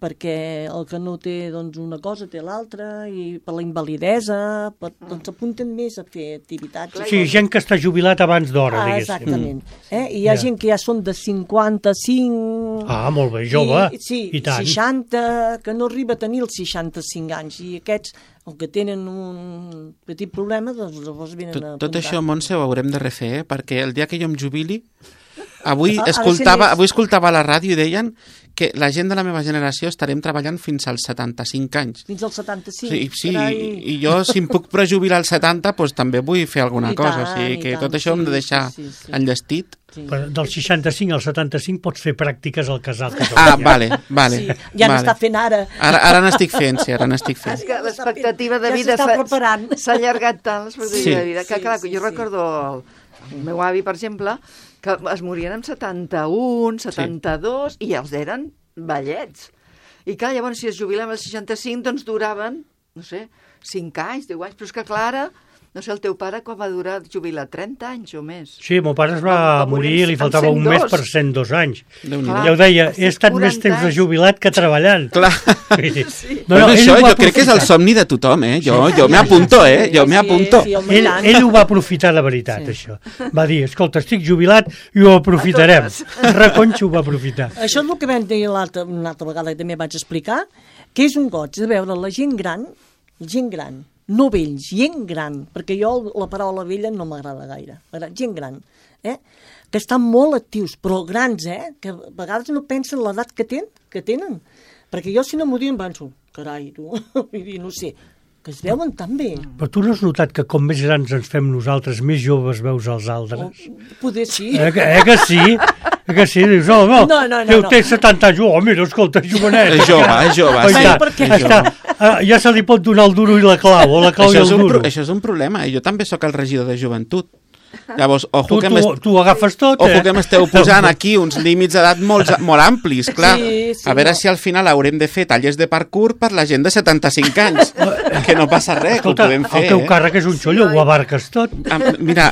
perquè el que no té doncs, una cosa té l'altra, i per la invalidesa, doncs s'apunten més a fer activitats.
Sí, gent que està jubilat abans d'hora, diguéssim.
Exactament. I hi ha gent que ja són de 55...
Ah, molt bé, jove,
sí,
i tant.
60, que no arriba a tenir els 65 anys, i aquests, el que tenen un petit problema, doncs llavors venen a
Tot
apuntar.
això, Montse, ho haurem de refer, perquè el dia que jo em jubili, avui
Ha de ser
escoltava a la ràdio i deien que la gent de la meva generació estarem treballant fins als 75 anys.
Fins als 75.
Sí, i jo, si em puc prejubilar als 70, doncs també vull fer alguna
I
cosa.
tant,
O sigui,
i
que
tant,
tot això ho hem de
sí,
deixar
sí, sí.
enllestit.
Sí.
Però del 65 al 75 pots fer pràctiques al casal.
Ah, vale.
Sí, ja n'està fent ara.
Ara n'estic fent, sí, ara n'estic fent.
És que l'expectativa de
Ja
vida
s'està preparant.
s'ha allargat tant, l'expectativa
Sí.
de vida, que
Sí,
clar,
sí,
jo
sí.
recordo el meu avi, per exemple, que es morien amb 71, 72, i els eren vellets. I clar, llavors, si es jubilaven als 65, doncs duraven, no sé, 5 anys, 10 anys, però és que clar, ara, no sé, el teu pare quan va durar jubilar 30 anys o més.
Sí, el meu pare es va morir i li
amb
faltava un
102.
mes per 102 anys.
Déu-n'hi-do.
Ja ho deia,
estic
he estat més
40
temps de
anys.
jubilat que treballant.
Clar.
Sí.
Bueno, això
ell ho va
jo crec que és el
aprofitar.
somni de tothom, eh? Jo m'hi apunto, eh? Jo m'hi apunto.
Sí, home, i tant.
Ell ho va aprofitar de veritat, això. Va dir, escolta, estic jubilat i ho aprofitarem. Reconxo ho va aprofitar.
Això és el que vam dir una altra vegada que també vaig explicar, que és un goig de veure la gent gran, no vells, gent gran, perquè jo la paraula vella no m'agrada gaire, gent gran, que estan molt actius, però grans, que a vegades no pensen l'edat que tenen, perquè jo si no m'ho diuen penso, carai, tu, vull dir, no sé, que es veuen tan bé.
Però tu no has notat que com més grans ens fem nosaltres, més joves veus els altres?
Poder sí.
Que sí? Que sí? Dius, no, jo té 70 anys, mira, escolta, jovenet.
És jove,
Oh,
sí.
ja,
perquè-
ja se li pot donar el duro i la clau, o la clau i el duro.
Això és un problema, jo també sóc el regidor de joventut. Llavors, ojo que
Tu ho agafes tot,
Ojo que m'esteu posant aquí uns límits d'edat molt amplis, clar.
Sí,
A veure si al final haurem de fer tallers de parkour per la gent de 75 anys. Que no passa res,
Escolta,
que ho podem fer.
el teu càrrec és un xollo, ho abarques tot.
Mira,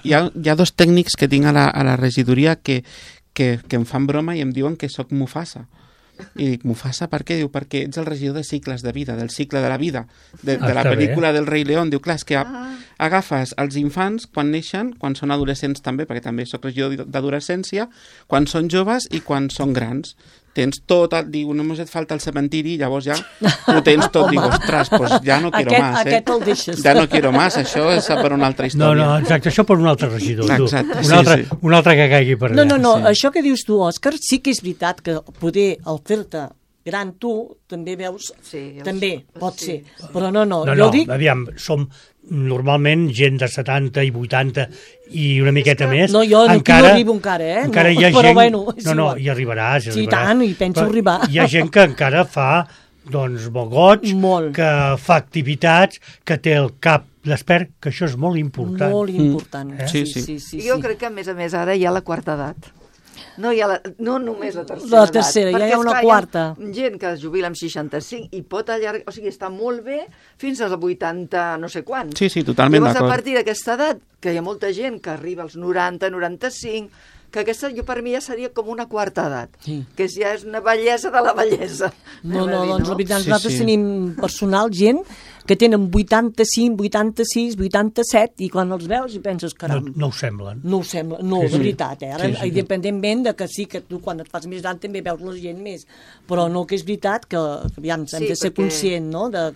hi ha dos tècnics que tinc a la regidoria que em fan broma i em diuen que sóc Mufasa. I dic, Mufasa, per què? Diu, perquè ets el regidor de cicles de vida, del cicle de la vida, de la
Està
pel·lícula del Rei León. Diu, clar, és que agafes els infants quan neixen, quan són adolescents també, perquè també sóc regidor d'adolescència, quan són joves i quan són grans. Tens tot, diu, només et falta el cementiri, llavors ja ho tens tot. Dic, ostres, pues ja no quiero más,
Aquest el deixes.
Ja no quiero más, això és per una altra història.
No, exacte, això per un altre regidor. Tu.
Exacte,
Un altre que caigui per allà.
No,
Sí.
això que dius tu, Òscar, sí que és veritat que poder al fer-te gran tu també veus,
Sí,
també pot
sí.
ser, però no,
No,
jo dic...
aviam, som normalment gent de 70 i 80 i una miqueta més.
No, jo aquí no arribo encara,
Encara hi ha
però
gent...
bueno, és
no,
igual.
hi arribaràs.
Sí, i tant, i penso arribar.
Hi ha gent que encara fa doncs, bogots,
Molt.
que fa activitats, que té el cap despert, que això és molt important.
Molt important.
Sí.
Sí.
Jo crec que, a més, ara hi ha la quarta edat. No, no només la tercera
La tercera,
edat,
ja hi ha
perquè,
una
esclar,
quarta.
Hi ha gent que es jubila amb 65 i pot allargar, o sigui, està molt bé fins als 80 no sé quants.
Sí, sí, totalment
Llavors, a
d'acord.
partir d'aquesta edat, que hi ha molta gent que arriba als 90, 95, que aquesta per mi ja seria com una quarta edat,
Sí.
que ja és una bellesa de la bellesa.
No,
anem a dir,
doncs la veritat,
Sí,
nosaltres
sí.
tenim personal, gent que tenen 85, 86, 87, i quan els veus i penses, caram,
No ho semblen.
no ho sembla, no,
Sí,
de
sí.
veritat, Ara,
Sí, sí.
independentment de que sí, que tu quan et fas més gran també veus la gent més, però no, que és veritat que aviam, hem
Sí,
de ser
perquè-
conscient, no?, de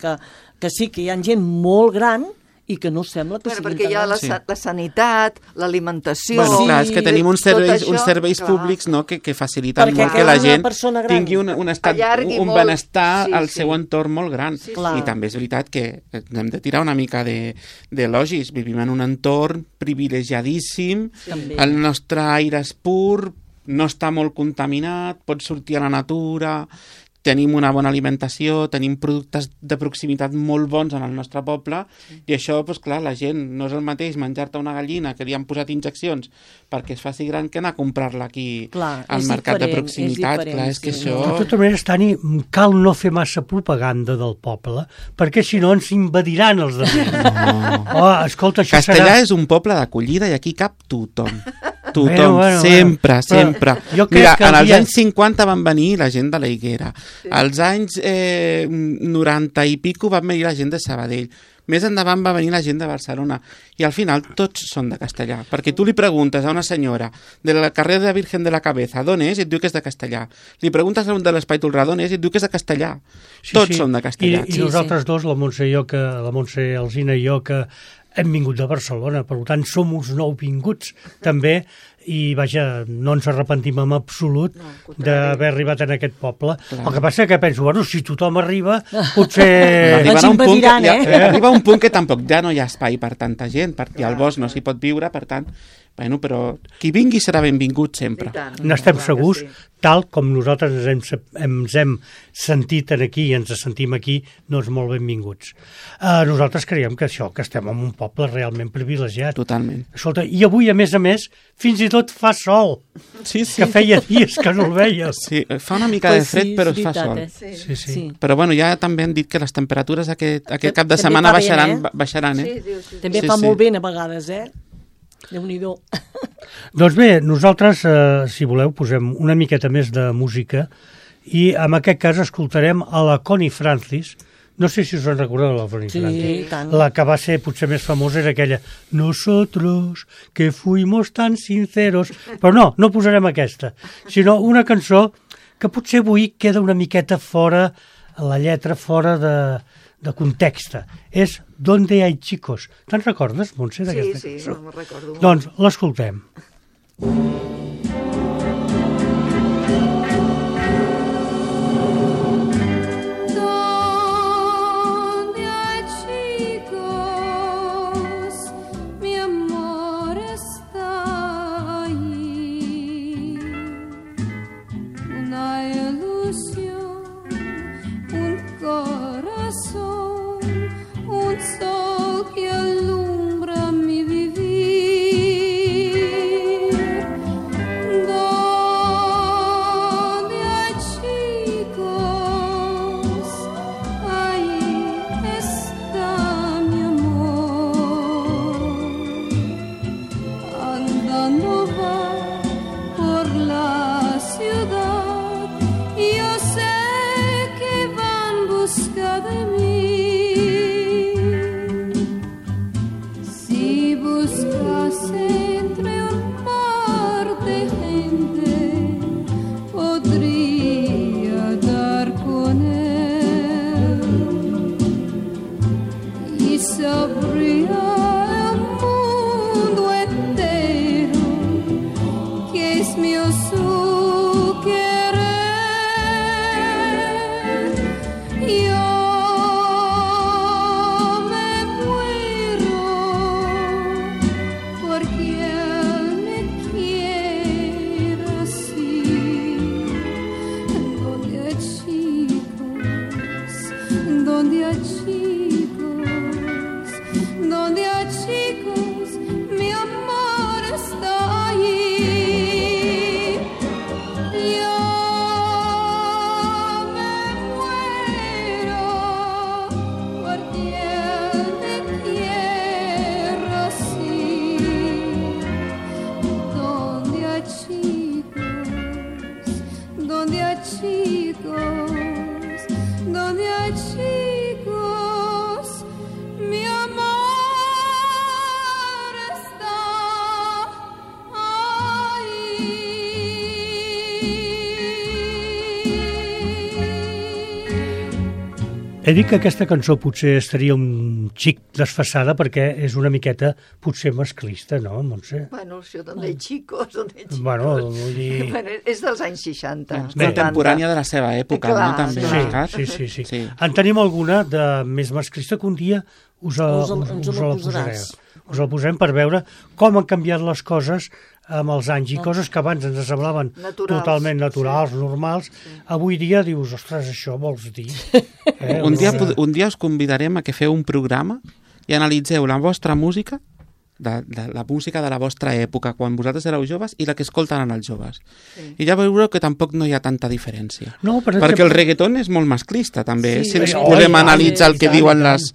que sí que hi ha gent molt gran i que no sembla que
Bueno,
siguin
perquè hi ha
tan grans.
la sanitat, l'alimentació...
Bueno,
Sí,
clar, és que tenim uns
tot
serveis,
això,
uns serveis
clar.
públics, no?, que faciliten
Perquè
molt que
cada
la gent
persona gran
tingui un estat,
allargui
un
molt.
benestar
Sí,
al
sí.
seu entorn molt gran.
Sí,
Clar.
I també és veritat que hem de tirar una mica d'elogis. Vivim en un entorn privilegiadíssim,
També.
el nostre aire és pur, no està molt contaminat, pots sortir a la natura, tenim una bona alimentació, tenim productes de proximitat molt bons en el nostre poble, i això, doncs clar, la gent no és el mateix menjar-te una gallina que li han posat injeccions perquè es faci gran que anar a comprar-la aquí
Clar,
al
és
mercat de
diferent, és
proximitat.
diferent,
Clar, és que
sí.
això...
De tota manera, Tani, cal no fer massa propaganda del poble, perquè si no ens invadiran els altres. Oh, escolta, això
Castellà
serà...
és un poble d'acollida i aquí cap tothom. Tothom,
Bueno,
sempre,
però
sempre.
jo crec
Mira,
que
en
el
els
dia-
anys 50 van venir la gent de la Higuera. Als anys 90 i pico van venir la gent de Sabadell. Més endavant va venir la gent de Barcelona. I al final tots són de castellà. Perquè tu li preguntes a una senyora de la carrer de la Virgen de la Cabeza d'on és i et diu que és de castellà. Li preguntes a un de l'Espai Tolrà d'on és i et diu que és de castellà. Tots són de castellà.
I nosaltres dos, la Montse Alsina i jo, que hem vingut de Barcelona, per tant som uns nouvinguts també, i vaja, no ens arrepentim en absolut d'haver arribat en aquest poble.
Clar.
El que passa que penso, bueno, si tothom arriba, potser...
Ens
Arribarà un punt que,
invadiran,
arriba un punt que tampoc ja no hi ha espai per tanta gent, perquè al bosc no s'hi pot viure, per tant, bueno, però qui vingui serà benvingut sempre.
N'estem
Clar que
segurs,
sí.
tal com nosaltres ens hem sentit aquí i ens sentim aquí, doncs molt benvinguts. Nosaltres creiem que això, que estem en un poble realment privilegiat.
Totalment.
Escolta, i avui, a més, fins i tot fa sol,
Sí, sí.
que feia dies que no el veies.
Sí, fa una mica de fred, però es fa sol.
Sí, sí.
Sí.
Però bueno, ja també han dit que les temperatures aquest cap de
També
setmana
fa bé,
baixaran,
Sí,
eh?
diu, sí.
També
Sí,
fa
sí.
molt bé a vegades, Déu-n'hi-do.
Doncs bé, nosaltres, si voleu, posem una miqueta més de música i en aquest cas escoltarem a la Connie Francis. No sé si us en recordeu de la Connie Francis.
Sí, tant.
La que va ser potser més famosa era aquella Nosotros que fuimos tan sinceros. Però no posarem aquesta, sinó una cançó que potser avui queda una miqueta fora, la lletra fora de context. És Donde hay chicos. Te'n recordes, Montse,
Sí,
d'aquesta
sí,
cançó?
no me'n recordo.
Doncs l'escoltem.
Donde hay chicos, mi amor está ahí. Una ilusión, un corazón, un sol que alumbra mi vivir. Donde hay chicos, ahí está mi amor. Andando va por la ciudad, yo sé que va en busca de mí. Si buscase entre un mar de gente, podría dar con él y sabría el mundo entero que es mío su querer. Yo me muero porque él me quiere así. Donde hay chicos, donde hay chicos, donde hay chicos, mi amor está allí.
He dit que aquesta cançó potser estaria un xic desfasada perquè és una miqueta potser masclista, no, Montse?
Bueno, això d'on de xicos, d'on de xicos.
Bueno, vull dir...
Bueno, és dels anys 60.
Contemporània de la seva època,
Clar,
no? També,
sí.
Cat?
Sí. En tenim alguna de més masclista que un dia us la
posaràs.
posareu. Us la posarem per veure com han canviat les coses amb els anys i coses que abans ens semblaven
Naturals.
totalment naturals, normals. Avui dia dius, ostres, això vols dir?
Un dia us convidarem a que feu un programa i analitzeu la vostra música, de la música de la vostra època, quan vosaltres éreu joves, i la que escolten ara els joves.
Sí.
I ja veureu que tampoc no hi ha tanta diferència.
No, per
Perquè
exemple-
el reggaeton és molt masclista, també.
Sí,
Si ens
oi,
podem
i tant,
analitzar el
i
que
tant,
diuen
i tant.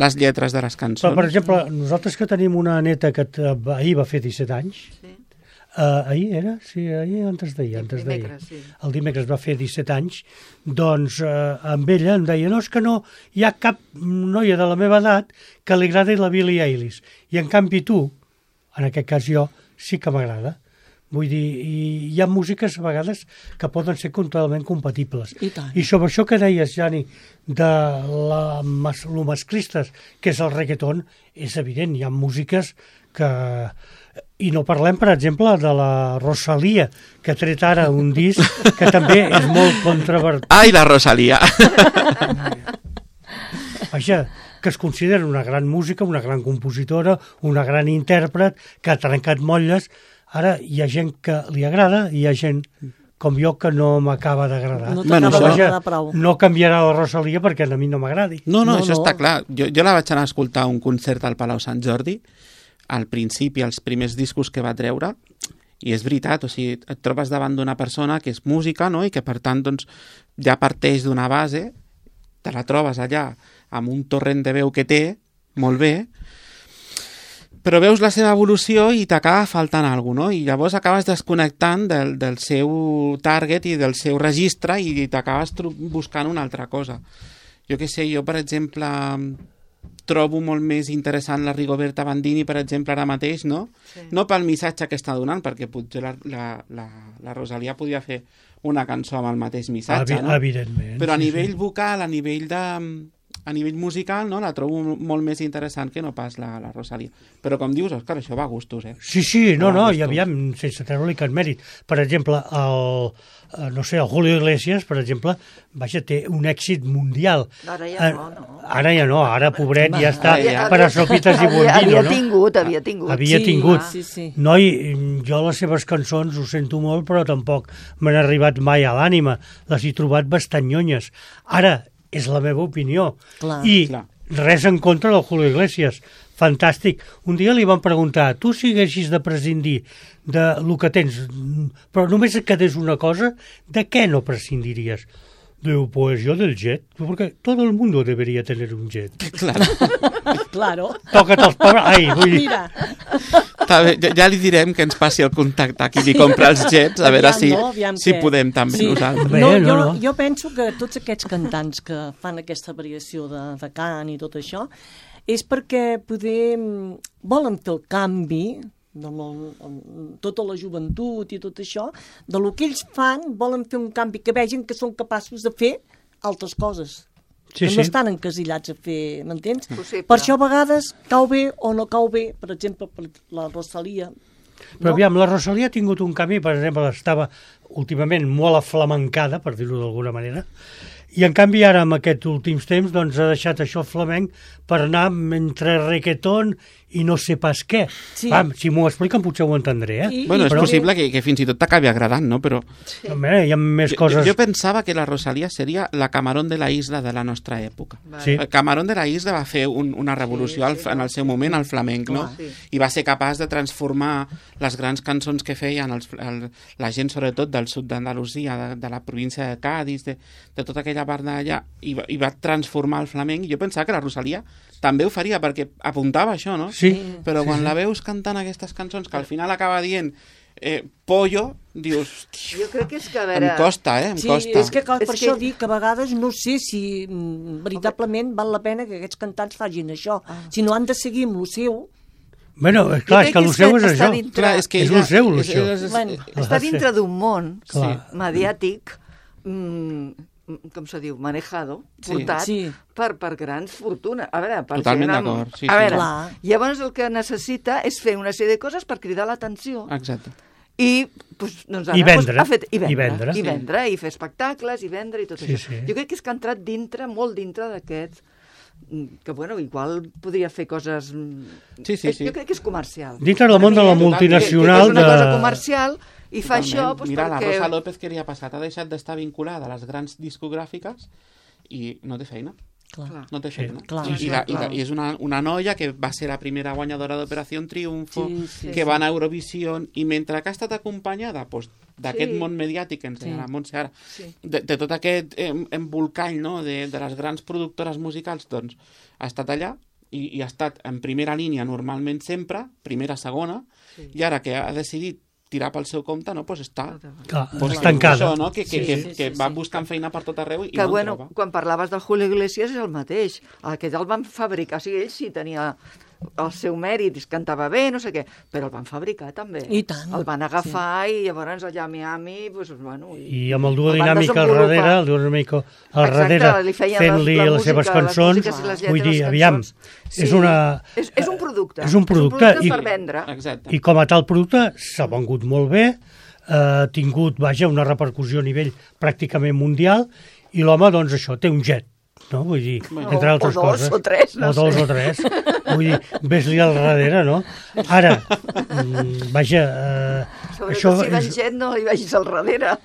les lletres de les
Però,
cançons.
per exemple, nosaltres que tenim una neta que ahir va fer 17 anys,
Sí.
ahir era? Sí, ahir antes d'ahir.
Dimecres, sí.
El dimecres va fer 17 anys, doncs amb ella em deia, no, és que no hi ha cap noia de la meva edat que li agradi la Billie Eilish. I en canvi tu, en aquest cas jo, sí que m'agrada. Vull dir, hi ha músiques a vegades que poden ser totalment compatibles.
I tant.
I sobre això que deies, Jani, de lo masclistes, que és el reggaeton, és evident, hi ha músiques que... I no parlem, per exemple, de la Rosalía, que ha tret ara un disc que també és molt controvertit.
Ai, la Rosalía!
Vaja, que es considera una gran música, una gran compositora, una gran intèrpret, que ha trencat motlles. Ara hi ha gent que li agrada i hi ha gent com jo que no m'acaba d'agradar.
No
Bueno,
t'acaba
això-
d'agradar prou.
No canviarà la Rosalía perquè a mi no m'agradi.
No,
No,
això
no.
està clar. Jo la vaig anar a escoltar a un concert al Palau Sant Jordi, al principi, els primers discos que va treure, i és veritat, o sigui, et trobes davant d'una persona que és música, no?, i que per tant doncs, ja parteix d'una base, te la trobes allà amb un torrent de veu que té, molt bé, però veus la seva evolució i t'acaba faltant alguna cosa, no? I llavors acabes desconnectant del seu target i del seu registre i t'acabes buscant una altra cosa. Jo què sé, jo, per exemple, trobo molt més interessant la Rigoberta Bandini, per exemple, ara mateix, no?
Sí.
No pel missatge que està donant, perquè potser la Rosalía podia fer una cançó amb el mateix missatge, no?
Evidentment.
Però a
sí,
nivell
sí.
vocal, a nivell musical, no? La trobo molt més interessant que no pas la Rosalía. Però com dius, Òscar, això va a gustos, eh?
Sí, no,
Va a
i
gustos.
aviam, sense treure-li cap mèrit. Per exemple, el Julio Iglesias, per exemple, vaja, té un èxit mundial.
Ara ja no.
Ara ja no, ara, pobret, ja està
ja.
per a sopites i bondino,
havia
no?
tingut.
Havia
Sí,
tingut.
sí.
Noi, jo les seves cançons ho sento molt, però tampoc m'han arribat mai a l'ànima. Les he trobat bastant nyonyes. Ara, és la meva opinió.
Clar.
I
Clar.
res en contra del Julio Iglesias. Fantàstic. Un dia li van preguntar, tu si haguessis de prescindir de lo que tens, però només et quedés una cosa, de què no prescindiries? Diu, pues yo del jet, porque todo el mundo debería tener un jet.
Claro.
Claro.
Toca't els pobres... Ai, vull dir...
Mira,
Està bé, ja li direm que ens passi el contacte aquí i compra els jets, a veure
aviam
si
què.
podem també
Sí.
nosaltres.
Bé,
No,
no.
jo penso que tots aquests cantants que fan aquesta variació de cant i tot això és perquè poder volen fer el canvi amb tota la joventut i tot això, de lo que ells fan volen fer un canvi que vegin que són capaços de fer altres coses.
Sí,
que no
sí.
estan encasillats a fer, m'entens?
Possible.
Per això a vegades cau bé o no cau bé, per exemple, per la Rosalía.
Però aviam, la Rosalía ha tingut un canvi, per exemple, estava últimament molt aflamencada, per dir-ho d'alguna manera, i en canvi ara, en aquests últims temps, doncs ha deixat això flamenc per anar entre reggaeton i no sé pas què.
Sí.
Si m'ho expliquen potser ho entendré, eh?
Bueno, és
Però-
possible que fins i tot t'acabi agradant, no? Però
Home, hi ha més coses...
jo pensava que la Rosalía seria la Camarón de la Isla de la nostra època.
Sí.
Camarón de la Isla va fer una revolució en el seu moment al flamenc, no?
Sí.
I va ser capaç de transformar les grans cançons que feien la gent, sobretot del sud d'Andalusia, de la província de Cádiz, de tota aquella part d'allà, i va transformar el flamenc. I jo pensava que la Rosalía també ho faria, perquè apuntava això, no?
Sí.
Però quan la veus cantant aquestes cançons, que al final acaba dient pollo, dius...
Jo crec que és que, a
Em
veure...
costa, em
Sí,
costa.
és que per
És
això
que-
dic que a vegades no sé si veritablement val la pena que aquests cantants facin això. Si no han de seguir amb el seu...
Bueno, clar, és que el seu és
està
això.
dintre-
Clar, és que
És
ella-
el seu,
és-
això.
és-
Bueno,
Està dintre d'un món
Clar.
mediàtic com se diu, manejado,
Sí.
portat
Sí.
per grans fortunes. A veure, per
Totalment
gent
d'acord, sí,
a
sí.
veure,
Clar.
llavors el que necessita és fer una sèrie de coses per cridar l'atenció.
Exacte.
I, doncs, ara,
I vendre.
ha fet,
I vendre.
i vendre, i fer espectacles, i vendre, i tot
Sí,
això.
sí.
Jo crec que és que ha entrat dintre, molt dintre d'aquests, que, bueno, igual podria fer coses...
Sí, sí, sí.
Jo crec que és comercial.
Dintre del món de la
Que
multinacional
és una cosa
de...
comercial, i fa això
Totalment.
doncs,
Mira,
perquè...
la Rosa López, què li ha passat? Ha deixat d'estar vinculada a les grans discogràfiques i no té feina.
Clar.
No té feina.
Clar.
I és una noia que va ser la primera guanyadora d'Operació Triunfo,
Sí,
que va anar a Eurovisió, i mentre que ha estat acompanyada doncs, d'aquest
Sí.
món mediàtic que ens
Sí.
deia la Montse ara,
Sí.
de tot aquest embolcall, no?, de les grans productores musicals, doncs ha estat allà i ha estat en primera línia normalment sempre, primera, segona, i ara que ha decidit tirar pel seu compte, no, doncs està
Clar,
doncs,
estancada.
això, no? que
Sí,
va
sí.
buscant feina per tot arreu i
Que,
no en
bueno,
troba.
quan parlaves del Julio Iglesias és el mateix. Aquest el van fabricar, o sigui, ell sí tenia el seu mèrit, es cantava bé, no sé què, però el van fabricar també.
I tant.
El van agafar i llavors allà a Miami, doncs, bueno...
I amb el duo
el van
dinàmic al
desenvolupar.
darrere, el duo dinàmic al
Exacte,
darrere,
li feien
fent-li
la
les
música,
seves
les
cançons,
músiques i les lletres,
vull dir,
les
aviam,
cançons. Sí.
és una...
És un producte.
És un producte
És un
i-
per vendre.
Exacte.
I com a tal producte s'ha vengut molt bé, ha tingut, vaja, una repercussió a nivell pràcticament mundial, i l'home, doncs això, té un jet, no? Vull dir, entre
O
altres
dos,
coses.
o tres, no
o dos
sé.
o tres. Vull dir, ves-li al darrere, no? Ara, vaja,
Sobretot si van gent no li vagis al darrere.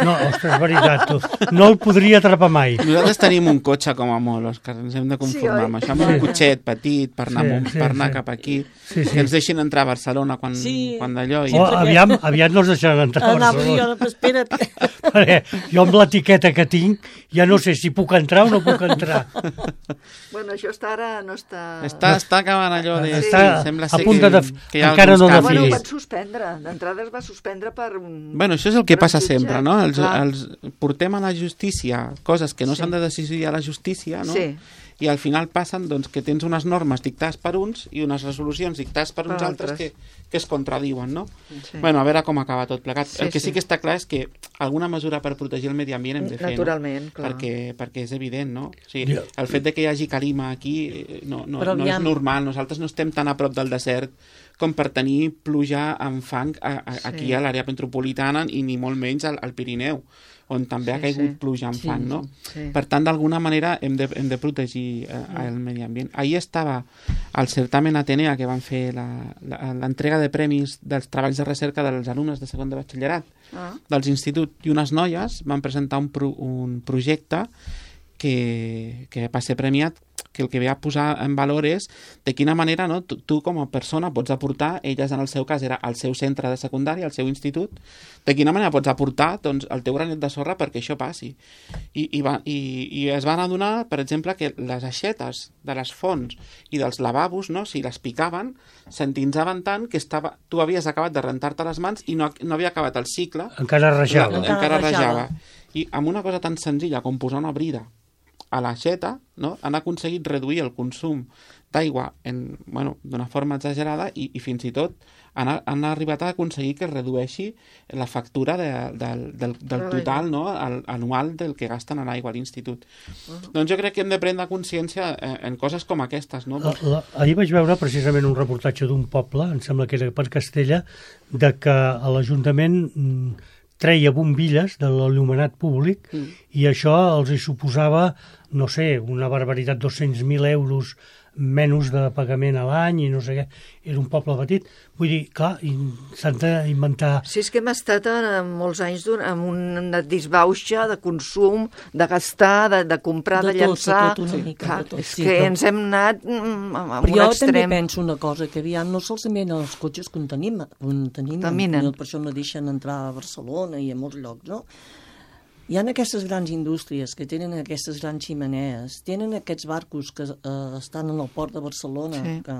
No, ostres, és veritat, tu. No el podria atrapar mai.
Nosaltres tenim un cotxe com a molt, Òscar, ens hem de conformar
Sí, oi?
amb això, amb un cotxet petit per anar, per anar cap aquí,
Sí, sí.
que ens deixin entrar a Barcelona quan d'allò.
O aviat no ens deixaran entrar a
Anava jo,
Barcelona.
però espera't.
Perquè jo amb l'etiqueta que tinc ja no sé si puc entrar o no puc entrar.
Bueno, això està ara, no està...
Està acabant allò de...
Està
sembla
a
ser
punt
que,
de...
que hi ha
encara
alguns
no
canvis.
Bueno, ho
definit.
van suspendre. D'entrada es va suspendre per...
Bueno, això és el que
per un
passa
jutge.
sempre, no?
Clar.
Portem a la justícia coses que no s'han de decidir a la justícia, no?
Sí.
I al final passen doncs, que tens unes normes dictades per uns i unes resolucions dictades per uns
Per
altres
altres.
que es contradiuen, no?
Sí.
Bueno, a veure com acaba tot plegat.
Sí,
El que sí
sí.
que està clar és que alguna mesura per protegir el medi ambient hem de fer,
Naturalment,
no?
clar.
Perquè és evident, no? O sigui, el fet de que hi hagi calima aquí no
Però
és
aviam.
normal. Nosaltres no estem tan a prop del desert com per tenir pluja amb fang aquí a l'àrea metropolitana i ni molt menys al Pirineu, on també ha caigut pluja amb fang, no?
Sí.
Per tant, d'alguna manera hem de protegir el medi ambient. Ahir estava al certamen Atenea, que van fer l'entrega de premis dels treballs de recerca dels alumnes de segon de batxillerat dels instituts, i unes noies van presentar un projecte que va ser premiat, que el que ve a posar en valor és de quina manera, no, tu com a persona pots aportar, elles en el seu cas era al seu centre de secundària, al seu institut, de quina manera pots aportar doncs, el teu granet de sorra perquè això passi. I es van adonar, per exemple, que les aixetes de les fonts i dels lavabos, no, si les picaven, s'entinsaven tant que tu havies acabat de rentar-te les mans i no havia acabat el cicle.
Encara rajava.
Encara rajava. I amb una cosa tan senzilla com posar una brida a l'aixeta, no? Han aconseguit reduir el consum d'aigua d'una forma exagerada i fins i tot han arribat a aconseguir que es redueixi la factura del total, no? Anual del que gasten a l'aigua a l'institut. Doncs jo crec que hem de prendre consciència en coses com aquestes, no?
Ahir vaig veure precisament un reportatge d'un poble, em sembla que era per Castella, de que a l'Ajuntament treia bombilles de l'il·luminat públic i això els hi suposava, no sé, una barbaritat, 200.000 euros menys de pagament a l'any i no sé què. Era un poble petit. Vull dir, clar, s'han d'inventar...
Sí, és que hem estat molts anys amb una disbauxa de consum, de gastar, de comprar, de llançar.
De tot una mica,
Clar,
de tot.
és que ens hem anat a un
Però jo també
extrem.
penso una cosa, que aviam, no solament els cotxes contaminen, per això no deixen entrar a Barcelona i a molts llocs, no? Hi ha aquestes grans indústries que tenen aquestes grans ximenees, tenen aquests barcos que estan en el port de Barcelona, que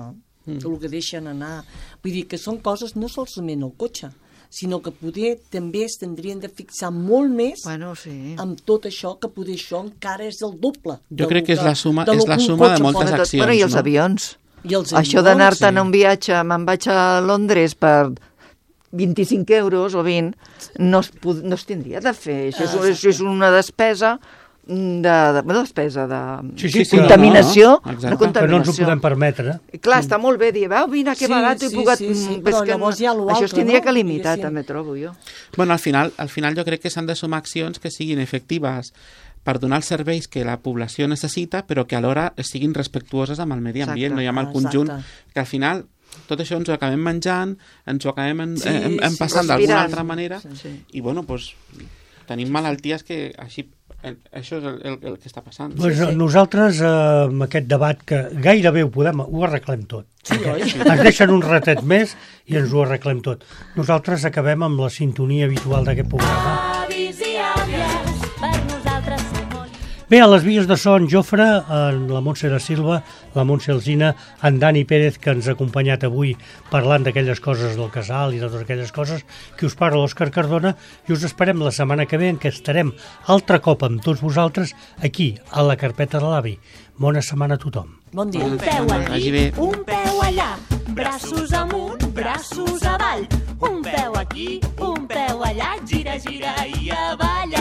el que deixen anar. Vull dir que són coses no solament el cotxe, sinó que poder també es tindrien de fixar molt més amb tot això, que poder això encara és el doble.
Jo crec que és la suma de moltes accions.
Bueno, i els avions.
I els
Això d'anar-te'n a un viatge, me'n vaig a Londres per 25 euros o 20, no es tindria de fer. Això és una despesa de despesa, de
Sí,
contaminació.
no, exacte.
De
Que no ens ho
contaminació.
podem permetre.
I clar, està molt bé dir, veu, vine, que
Sí,
barat, he
sí,
pogut...
sí,
és
però
que
llavors hi ha lo
això es
altre,
tindria
no?
que limitar,
Diguéssim.
també trobo jo.
Bueno, al final jo crec que s'han de sumar accions que siguin efectives per donar els serveis que la població necessita, però que alhora siguin respectuoses amb el medi ambient,
Exacte.
no? I amb el
Exacte.
conjunt, que al final tot això ens ho acabem menjant, ens ho acabem
Sí,
passant
respirant.
d'alguna altra manera,
Sí.
i bueno, doncs tenim malalties que així... Això és el que està passant.
Pues nosaltres, amb aquest debat, que gairebé ho arreglem tot.
Sí, oi?
Ens deixen un ratet més i ens ho arreglem tot. Nosaltres acabem amb la sintonia habitual d'aquest programa.
Avis i àvies, per nosaltres som molt...
Bé, a les vies de so, en Jofre, en la Montse da Silva, la Montse Alsina, en Dani Pérez, que ens ha acompanyat avui parlant d'aquelles coses del casal i de totes aquelles coses, que us parla l'Òscar Cardona, i us esperem la setmana que ve, en què estarem altre cop amb tots vosaltres aquí, a la carpeta de l'avi. Bona setmana a tothom.
Bon dia.
Un peu
Vagi
aquí,
bé.
un peu allà, braços amunt, braços avall, un peu aquí, un peu allà, gira, gira i avall.